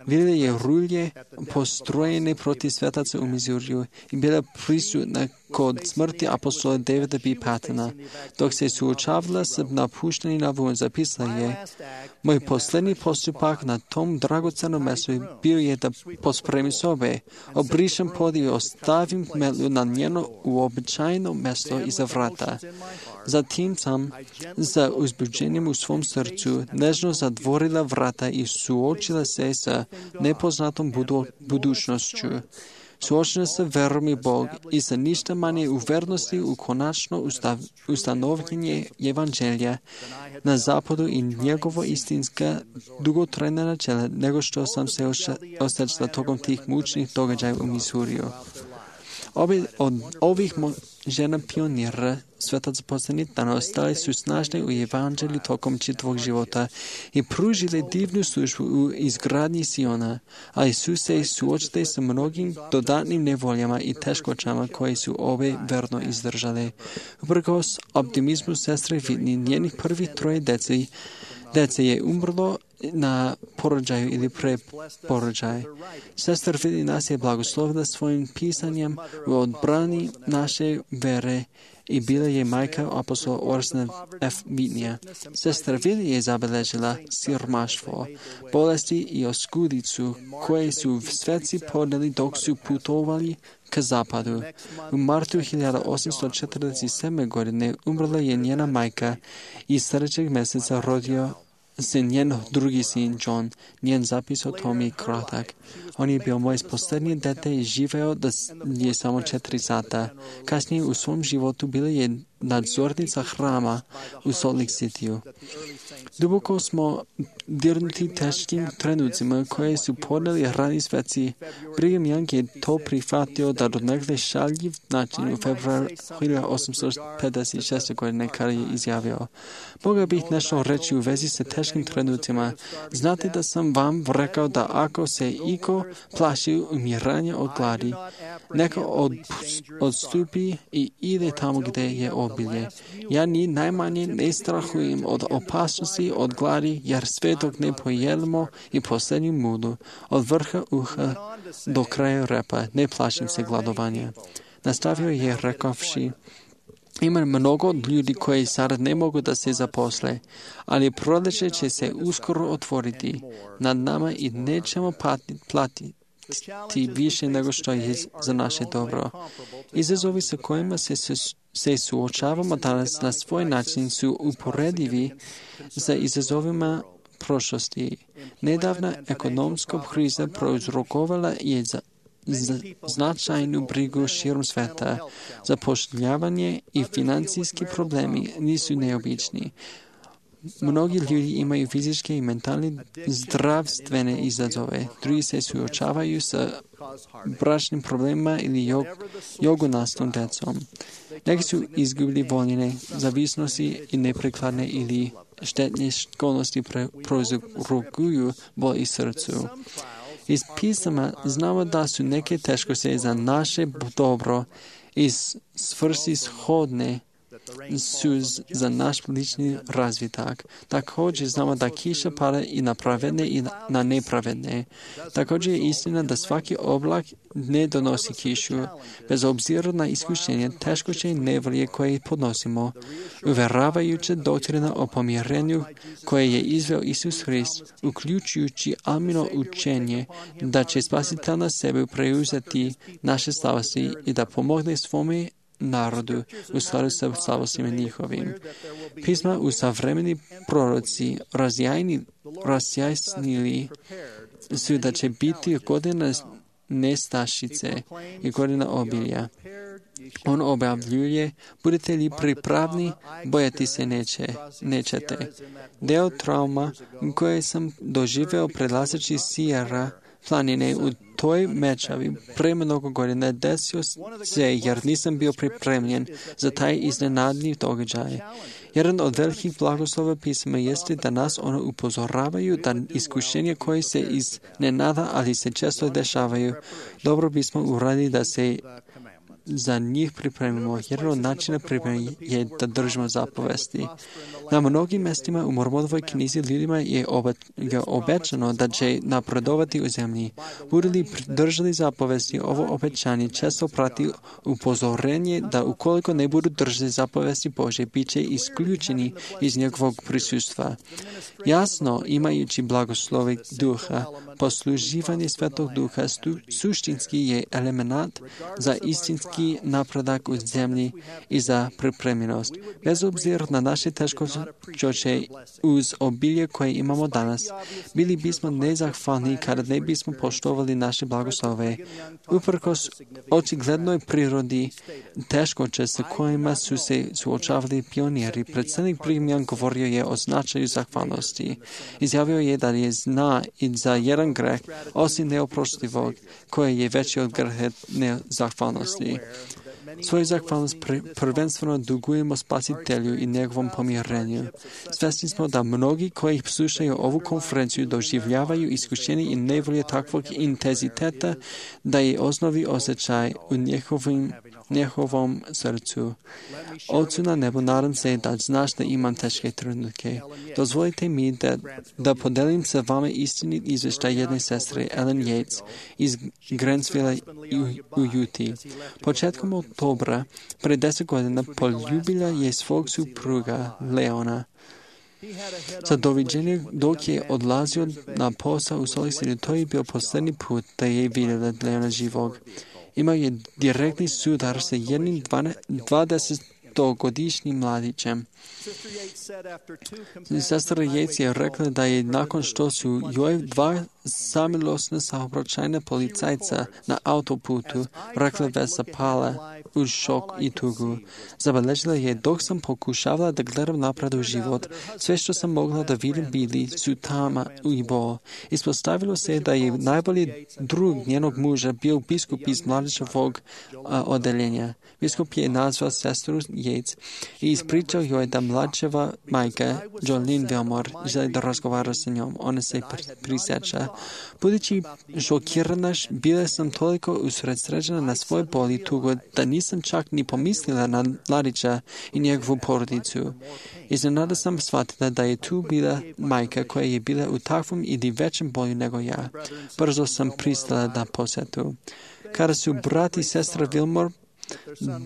Vidjela je rulje postrojene protiv svetaca u Missouriju i bila prisutna kod smrti apostola Davida B. Pattona. Dok se suočavala s napuštenim Navuom, zapisala je: moj posljednji postupak na tom dragocenom mjestu bio je da pospremim sobe, obrišem pod i ostavim metlu na njeno uobičajeno mjesto iza vrata. Zatim sam, za uzbuđenjem u svom srcu, nežno zatvorila vrata i suočila se sa nepoznatom budu, budućnošću. Suočena sa verom i Bog i sa ništa manje u vernosti u konačno ustav, ustanovljenje evanđelja na zapadu i njegovo istinska dugotrajna načela nego što sam se osjećala tokom tih mučnih događaja u Missouriju. Obe od ovih žena pionira svetaca posljednjih dana ostale su snažne u evanđelju tokom čitavog života i pružile divnu službu u izgradnji Siona, ali su se suočile sa mnogim dodatnim nevoljama i teškoćama koje su ove verno izdržale. Uprkos optimizmu sestre Whitney, njenih prvih troje deci, dece je umrlo na porođaju ili pre porođaj. Sestra Whitney nas je blagoslovila svojim pisanjem u odbrani naše vere i bila je majka apostola Orsona F. Whitneya. Sestra Whitney je zabeležila siromaštvo, bolesti i oskudicu koje su sveci podneli dok su putovali k zapadu. U martu hiljadu osamsto četrdeset sedme. godine umrla je njena majka i sljedećeg mjeseca rodio se njen drugi sin John. Njen zapis o tom je kratak. On je bio moje posljednje dete i živeo da je samo četiri sata. Kasnije u svom životu bila je nadzornica hrama u Salt Lake Cityu. Duboko smo dirnuti teškim trenucima koje su podneli rani sveci. Brigham Young je to prihvatio da donekle šaljiv način u februaru hiljadu osamsto pedeset šeste. godine kada je izjavio: Boga bih nešto reći u vezi sa teškim trenucima. Znate da sam vam rekao da ako se iko plaši umiranja od gladi, neka od, odstupi i ide tamo gdje je obilje. Ja ni najmanje ne strahujem od opasnosti od gladi, jer sve dok ne pojedemo i posljednju mudu, od vrha uha do kraja repa, ne plašim se gladovanja. Nastavio je rekavši: ima mnogo ljudi koji sad ne mogu da se zaposle, ali proljeće će se uskoro otvoriti nad nama i nećemo platiti, platiti više nego što je za naše dobro. Izazovi sa kojima se, se suočavamo danas na svoj način su uporedivi za izazovima prošlosti. Nedavna ekonomska kriza prouzrokovala je za značajnu brigu širom sveta. Zapošljavanje i financijski problemi nisu neobični. Mnogi ljudi imaju fizičke i mentalne zdravstvene izazove. Drugi se suočavaju sa bračnim problemima ili jog, jogonastom decom. Neki su izgubili voljene zavisnosti i neprikladne ili štetne sklonosti prouzrokuju bol i srcu. Iz pisama znamo da su neke teškosti za naše dobro i svrsishodne su za naš lični razvitak. Također znamo da kiša pada i na pravedne i na nepravedne. Također je istina da svaki oblak ne donosi kišu. Bez obzira na iskušenje, teškoće i nevolje koje podnosimo, uveravajuća doktrina o pomirenju koje je izveo Isus Hrist, uključujući amino učenje da će Spasitelj na sebe preuzeti naše slabosti i da pomogne svome narodu u skladu sa slabostima njihovim. Pisma u savremeni proroci razjajni, razjasnili su da će biti godina nestašice i godina obilja. On objavljuje, budete li pripravni, bojati se neće, nećete. Deo trauma koje sam doživeo prelazeći Sijera planine u toj mečavi pre mnogo godina desio se jer nisam bio pripremljen za taj iznenadni događaj. Jedan od velikih blagoslova pisma jeste da nas ono upozoravaju da iskušenje koje se iznenada, ali se često dešavaju, dobro bismo uradili da se za njih pripremimo. Jedan od načina pripreme je da držimo zapovesti. Na mnogim mestima u Mormonovoj knjizi ljudima je obećano da će napredovati u zemlji. Budu li držali zapovesti, ovo obećanje često prati upozorenje da ukoliko ne budu držali zapovesti Bože, bit će isključeni iz njegovog prisustva. Jasno, imajući blagoslove duha, posluživanje Svetog duha stu, suštinski je element za istinski napredak u zemlji i za pripremljenost. Bez obzira na naše teškoće uz obilje koje imamo danas, bili bismo nezahvalni kada ne bismo poštovali naše blagoslove. Uprkos očiglednoj prirodi teškoće sa kojima su se suočavali pioniri, predsjednik Brigham govorio je o značaju zahvalnosti. Izjavio je da je zna i za jedan greh, osim neoprostivog, koje je veći od greha nezahvalnosti. Svoju zahvalnost prvenstveno dugujemo Spasitelju i njegovom pomirenju. Svesni smo da mnogi koji slušaju ovu konferenciju doživljavaju iskušenje i nevolje takvog intenziteta da je osnovi osjećaj u njihovim njihovom srcu. Ocu na nebu, nadam se da znaš da imam teške trenutke. Dozvolite mi da, da podelim sa vama istinit izvještaj jedne sestre, Ellen Yates, iz Grantsville u, u Juti. Početkom oktobra, pre deset godina, poljubila je svog supruga, Leona. Za doviđenje dok je odlazio na posao u Salt Lake City, to je bio posljednji put da je vidjela Leona živog. Imao je direktni sudar sa jednim dvadesetogodišnjim mladićem. Sestra Yates je rekla da je nakon što su joj dva samilosna saobraćajna policajca na autoputu rekla da se pala uz šok i tugu. Zabeležila je, dok sam pokušavala da gledam napred u život, sve što sam mogla da vidim bili su tama i bol. Ispostavilo se da je najbolji drug njenog muža bio biskup iz mladićevog odeljenja. Biskup je nazvao sestru Yates i ispričao joj da mlađeva majka, Jolene Wilmore, želi da razgovara sa njom. Ona se prisjeća. Budući šokirana, bila sam toliko usredsređena na svoj bol i tugu da nisam čak ni pomislila na mladića i njegovu porodicu. Iznenada sam shvatila da je tu bila majka koja je bila u takvom ili većem boju nego ja. Brzo sam pristala na posjetu. Kada su brat i sestra Wilmore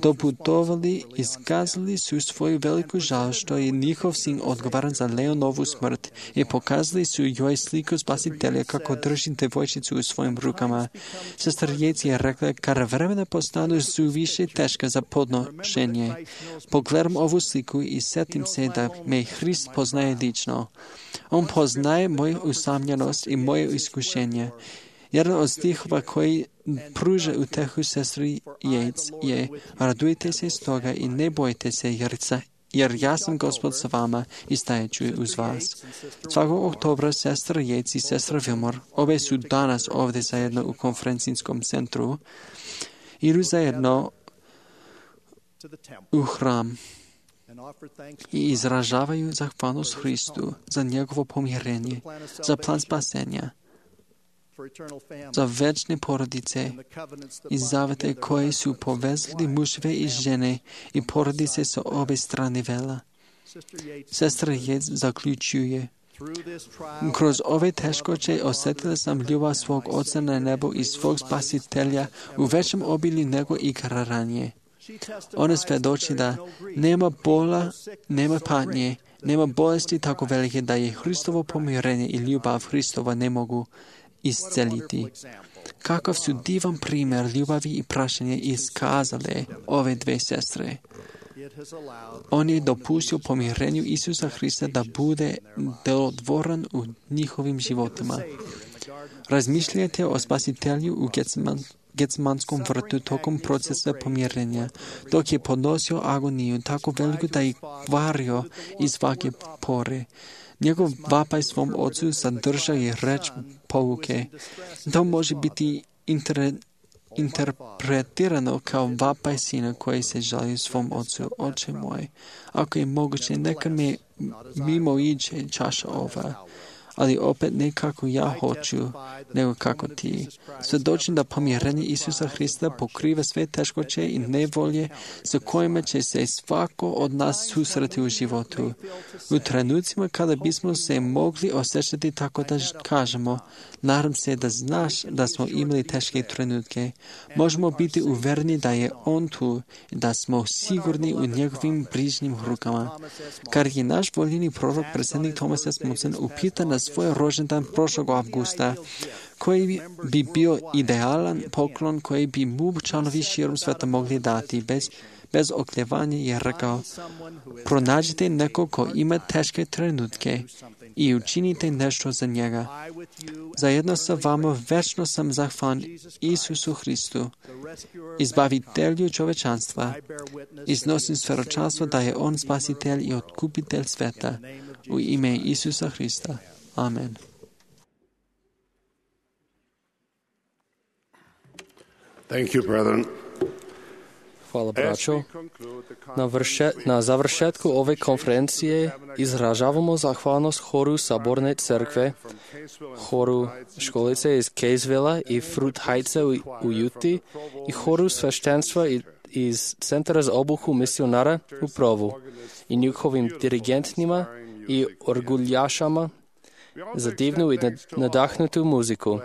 doputovali, iskazali su svoju veliku žal što je njihov sin odgovoran za Leonovu smrt i pokazali su joj sliku Spasitelja kako drži devojčicu u svojim rukama. Sestra Yates je rekla, kada vremena postanu su više teška za podnošenje. Pogledam ovu sliku i setim se da me Hrist poznaje lično. On poznaje moju usamljenost i moje iskušenje. Jedan od stihova koji pruža utehu sestri Yates je: radujte se stoga i ne bojte se, jer sa jer ja sam Gospod sa vama i stajeću uz vas. Svakog oktobra sestra Yates i sestra Wilmore, obe su danas ovdje zajedno u konferencijskom centru, idu zajedno u hram i izražavaju zahvalnost Hristu za njegovo pomirenje, za plan spasenja, za večne porodice i zavete koje su povezali muževe i žene i porodice sa obe strane vela. Sestra Yates zaključuje: kroz ove teškoće osjetila sam ljubav svog Oca na nebu i svog Spasitelja u većem obilju nego ikada ranije. Ona svjedoči da nema bola, nema patnje, nema bolesti tako velike da je Hristovo pomirenje i ljubav Hristova ne mogu isceliti. Kakav su divan primjer ljubavi i prašenja iskazale ove dve sestre. On je dopustio pomirenju Isusa Hrista da bude delotvoran u njihovim životima. Razmišljajte o Spasitelju u Getseman, Getsemanskom vrtu tokom procesa pomirenja, dok je podnosio agoniju tako veliku da je kvario iz svake pore. Njegov vapaj svom ocu sadržao je reč pouke. To može biti inter, interpretirano kao vapaj sina koji se žali svom ocu. Oče moj, ako je moguće, neka me mimo iđe čaša ova, ali opet ne kako ja hoću, nego kako ti. Svjedočim da pomirenje Isusa Hrista pokriva sve teškoće i nevolje sa kojima će se svako od nas susreti u životu. U trenucima kada bismo se mogli osjećati tako da kažemo: nadam se da znaš da smo imali teške trenutke, možemo biti uvereni da je On tu i da smo sigurni u njegovim brižnim rukama. Kad je naš voljeni prorok predsjednik Thomas S. Monson upitan na svoj rođendan prošlog avgusta, koji bi bio idealan poklon koji bi mu članovi širom sveta mogli dati, bez, bez okljevanja je rekao: pronađite nekog ko ima teške trenutke i učinite nešto za njega. Zajedno sa vama večno sam zahvalan Isusu Hristu, izbavitelju čovečanstva. Iznosim svjedočanstvo da je On spasitelj i otkupitelj sveta. U ime Isusa Hrista. Amen. Thank you, brethren. Hvala, braćo. Na, vrše, na završetku ove konferencije izražavamo zahvalnost horu Saborne crkve, horu školice iz Casevilla i Fruit Heightsa u, u Juti i horu sveštenstva iz Centra za obuku misionara u Provu i njihovim dirigentnima i orguljašama za divnu i nadahnutu muziku.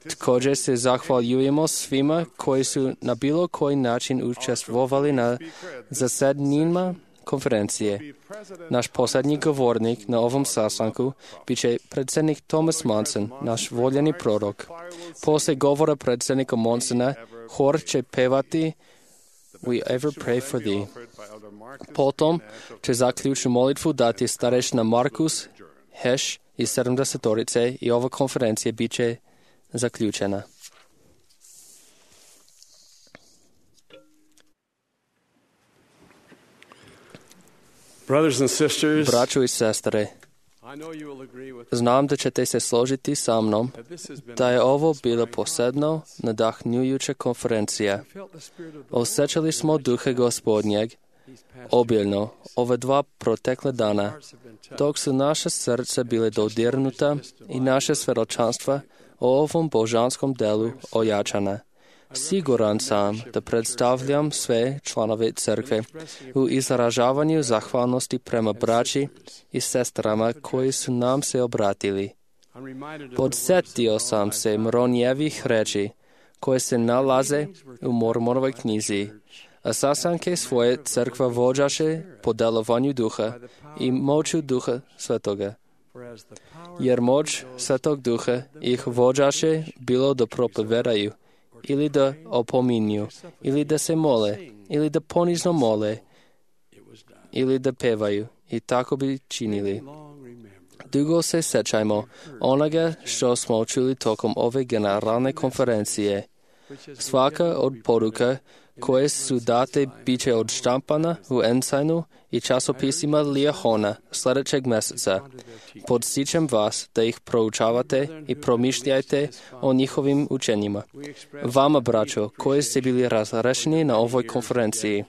Također se zahvaljujemo svima koji su na bilo koji način učestvovali na zasedanjima konferencije. Naš posljednji govornik na ovom sastanku bit će predsjednik Thomas Monson, naš voljeni prorok. Poslije govora predsjednika Monsona, hor će pevati We Ever Pray for Thee. Potom će zaključnu molitvu dati starešina Markus Heš iz sedamdesetorice i ova konferencija bit će zaključena. Braćo i sestre, znam da ćete se složiti sa mnom da je ovo bila posebno nadahnjujuća konferencija. Osjećali smo duha Gospodnjeg obiljno ove dva protekle dana, dok su naše srce bile dodirnuta i naše svjedočanstva o ovom božanskom delu ojačana. Siguran sam da predstavljam sve članove crkve u izražavanju zahvalnosti prema braći i sestrama koji su nam se obratili. Podsjetio sam se Moronijevih reči koje se nalaze u Mormonovoj knjizi, a sastanke svoje crkva vođaše po delovanju duha i moću duha svetoga. Jer moć svetog duha ih vođaše bilo da propovedaju, ili da opominju, ili da se mole, ili da ponizno mole, ili da pevaju, i tako bi činili. Dugo se sećajmo onoga što smo čuli tokom ove generalne konferencije. Svaka od poruka koje su date bit će odštampana u Ensignu i časopisima Liahona sljedećeg mjeseca. Podstičem vas da ih proučavate i promišljajte o njihovim učenjima. Vama, braćo, koji ste bili razrešeni na ovoj konferenciji,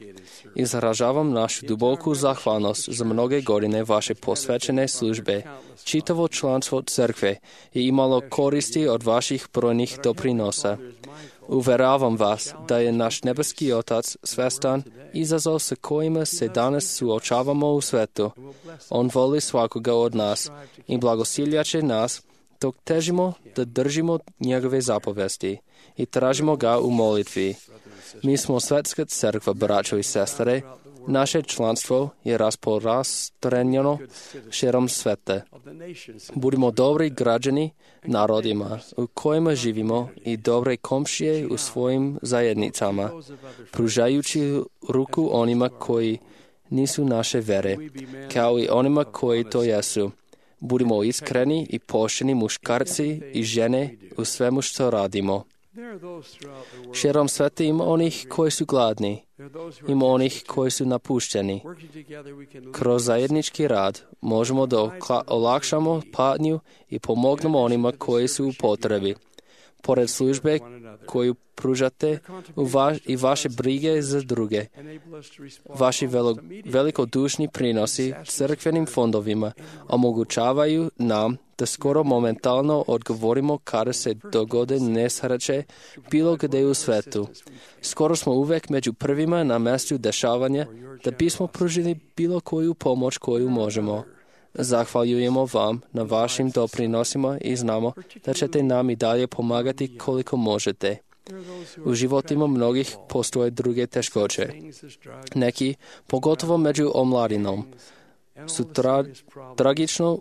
izražavam našu duboku zahvalnost za mnoge godine vaše posvećene službe. Čitavo članstvo crkve je imalo koristi od vaših brojnih doprinosa. Uveravam vas da je naš nebeski Otac svestan izazov sa kojima se danas suočavamo u svetu. On voli svakoga od nas i blagosilja će nas dok težimo da držimo njegove zapovesti i tražimo ga u molitvi. Mi smo svetska crkva, braćo i sestre. Naše članstvo je rasporastrenjeno širom sveta. Budimo dobri građani narodima u kojima živimo i dobre komšije u svojim zajednicama, pružajući ruku onima koji nisu naše vere, kao i onima koji to jesu. Budimo iskreni i pošteni muškarci i žene u svemu što radimo. Širom sveta ima onih koji su gladni, ima onih koji su napušteni. Kroz zajednički rad možemo da olakšamo patnju i pomognemo onima koji su u potrebi. Pored službe koju pružate u va- i vaše brige za druge, vaši velo- velikodušni prinosi crkvenim fondovima omogućavaju nam da skoro momentalno odgovorimo kada se dogode nesreće bilo gdje u svetu. Skoro smo uvek među prvima na mjestu dešavanja da bismo pružili bilo koju pomoć koju možemo. Zahvaljujemo vam na vašim doprinosima i znamo da ćete nam i dalje pomagati koliko možete. U životima mnogih postoje druge teškoće. Neki, pogotovo među omladinom, su tra- tragično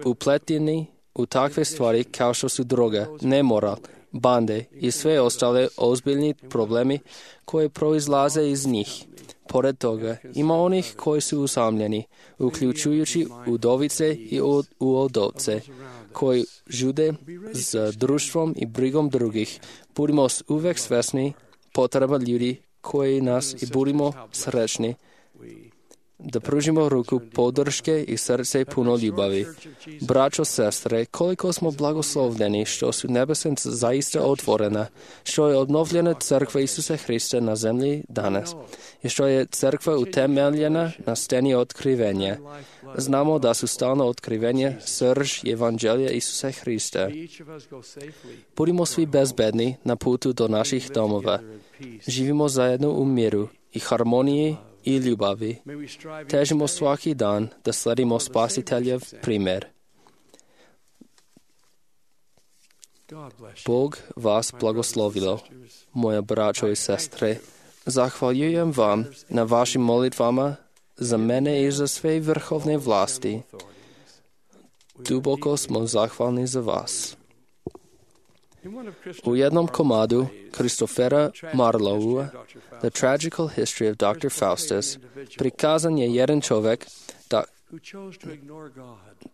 upleteni u takve stvari kao što su droga, nemoral, bande i sve ostale ozbiljni problemi koje proizlaze iz njih. Pored toga, ima onih koji su usamljeni, uključujući udovice i uodovce, koji žude za društvom i brigom drugih. Budimo uvek svesni potreba ljudi koji nas i budimo srećni da pružimo ruku podrške i srce puno ljubavi. Braćo, sestre, koliko smo blagoslovljeni što su nebesa zaista otvorena, što je obnovljena crkva Isusa Hrista na zemlji danas i što je crkva utemeljena na steni otkrivenja. Znamo da su stalno otkrivenja srž evanđelja Isusa Hrista. Budimo svi bezbedni na putu do naših domova. Živimo zajedno u miru i harmoniji i ljubavi. Težimo svaki dan da sledimo Spasiteljev primjer. Bog vas blagoslovilo, moja braćo i sestre. Zahvaljujem vam na vašim molitvama za mene i za sve vrhovne vlasti. Duboko smo zahvalni za vas. U jednom komadu Christophera Marlowea, The Tragical History of doctor Faustus, prikazan je jedan čovjek, da,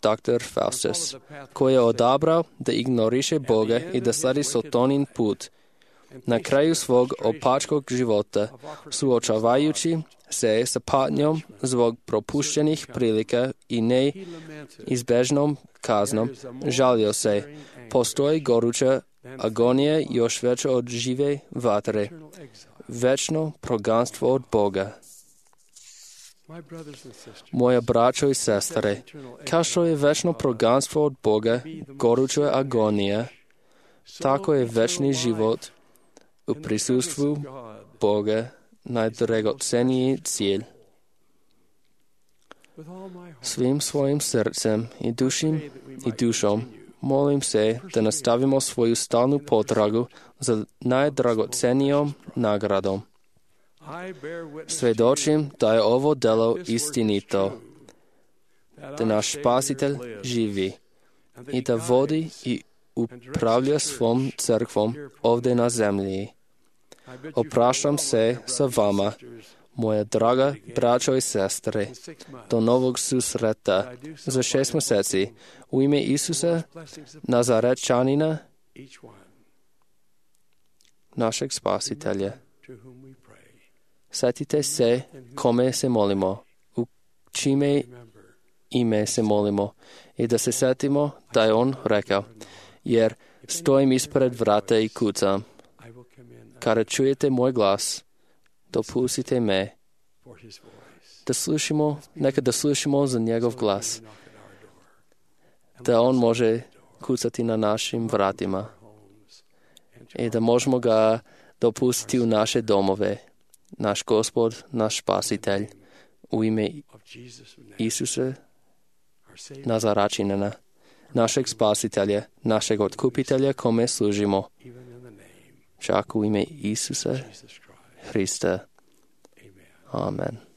doktor Faustus, koji je odabrao da ignoriše Boga i da sledi Sotonin put. Na kraju svog opačkog života, suočavajući se sa patnjom zbog propuštenih prilika i neizbežnom kaznom, žalio se. Postoji goruća agonija još veća od žive vatre, večno proganstvo od Boga. Moja braćo i sestre, kao što je večno proganstvo od Boga goruća agonija, tako je večni život u prisustvu Boga najdragoceniji cilj. Svim svojim srcem i dušim i dušom molim se da nastavimo svoju stalnu potragu za najdragocenijom nagradom. Svedočim da je ovo delo istinito, da naš Spasitelj živi i da vodi i upravlja svom crkvom ovdje na zemlji. Opraštam se sa vama, moja draga braćo i sestre, do novog susreta za šest mjeseci u ime Isusa Nazarečanina, našeg Spasitelja. Sjetite se kome se molimo. U čime ime se molimo i da se setimo da je on rekao, jer stojim ispred vrata i kucam. Kada čujete moj glas, dopustite me da slušamo, neka da slušamo za njegov glas, da on može kucati na našim vratima i da možemo ga dopustiti u naše domove, naš Gospod, naš Spasitelj, u ime Isusa Nazaračinina, našeg Spasitelja, našeg Otkupitelja, kome služimo, čak u ime Isusa Hrista. Amen.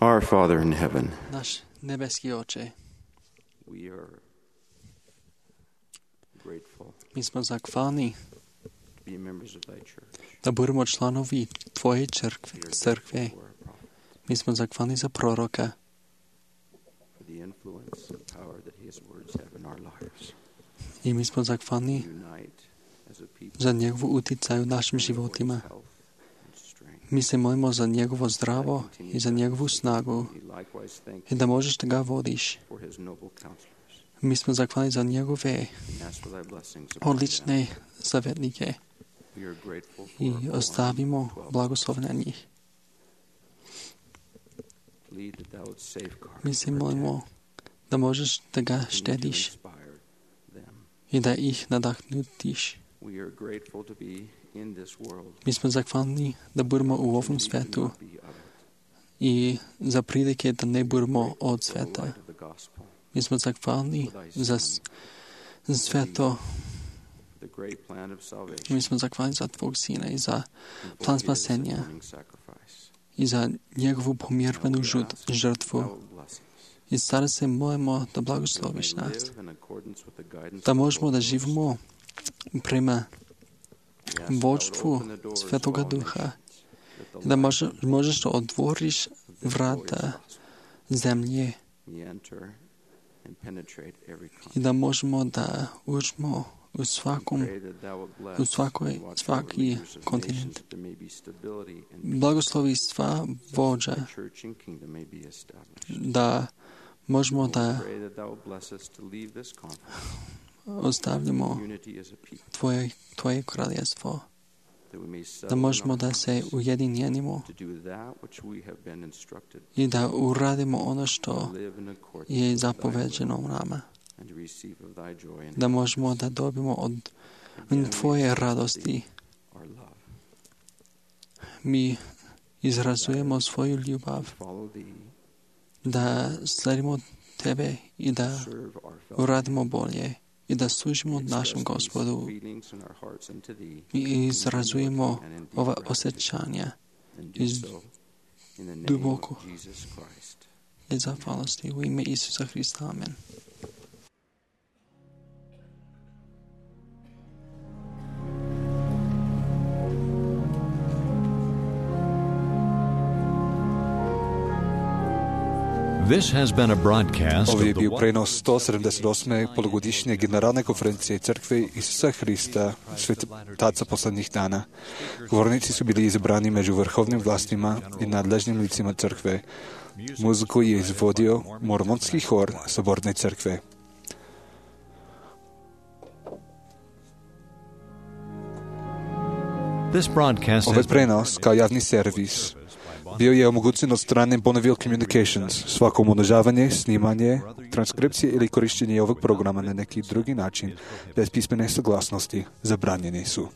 Our Father in heaven, Naš nebeski Oče, we are grateful mi smo zahvalni to be members of thy church. da budemo članovi Tvoje crkve. crkve. Mi smo zahvalni za proroka For the influence and power that his words have in our lives. i mi smo zahvalni Unite as a people za njegovu uticaj u našim životima. health and strength. Mi se molimo za njegovo zdravo i za njegovu snagu We likewise thank i da možeš da ga vodiš. for his noble counselors Mi smo zahvalni za njegove and ask for thy blessings upon them. odlične savjetnike We are grateful for i our ostavimo twelve blagoslov na njih. lead that thou wouldst safeguard Mi se and molimo da možeš da ga protect and to štediš inspire them. i da ih nadahnutiš. We are grateful to be in this world. Mi smo zahvalni da budemo u ovom We svetu cannot be of it. i za prilike da ne budemo od For the sveta. light of the gospel, Mi smo zahvalni za, s- za sve to. the great plan of salvation, Mi smo zahvalni za Tvog Sina i za and plan for his spasenja atoning sacrifice. i za njegovu pomirvenu Now we žut- ask that žrtvu. thou would bless us, I sada se molimo da that we blagosloviš may nas, live in accordance with the guidance da of the možemo Holy da Ghost. živimo prema We ask that thou would vođstvu open the doors to Svetoga all Duha nations, that the i da light može, of možeš da otvoriš this glorious vrata gospel zemlje may enter and penetrate every i continent. da možemo da uđemo u svakom Pray that thou would bless u svakoj, and watch over svaki leaders of kontinent. nations, that there may be stability and peace, Blagoslovi sva vođa thy church and kingdom may be established. da možemo Lord, da pray that thou would bless us to leave this conference ostavljamo unity as a people, Tvoje, tvoje kraljestvo, that we may settle da in možemo our da se hearts ujedinjenimo to do that which we have been instructed, i da uradimo ono to što live in accordance je with thy zapoveđeno will, nama, and to receive of thy joy and da možemo da dobimo od Again, we Tvoje express radosti. thee our love. Mi izrazujemo svoju ljubav, Follow thee, da sledimo Tebe i da serve our fellow uradimo bolje i da služimo express našem these Gospodu. feelings in our hearts unto thee, Mi izrazujemo and in deep ova gratitude, osjećanja and do iz so in the name duboko. of Jesus Christ. i zahvalnosti u ime Isusa Hrista. Amen. This has been a broadcast Ovo je of the bio prenos sto sedamdeset osme polugodišnje generalne konferencije Crkve Isusa Hrista, svetaca poslednjih dana. Govornici su bili izabrani među vrhovnim vlastima i nadležnim licima Crkve. Muziku je izvodio mormonski hor Saborne Crkve. This broadcast Ovaj has been prenos, kao javni servis, bio je omogućen od strane Bonneville Communications. Svako umnožavanje, snimanje, transkripcije ili korišćenje ovog programa na neki drugi način, bez pismene saglasnosti, zabranjeni su.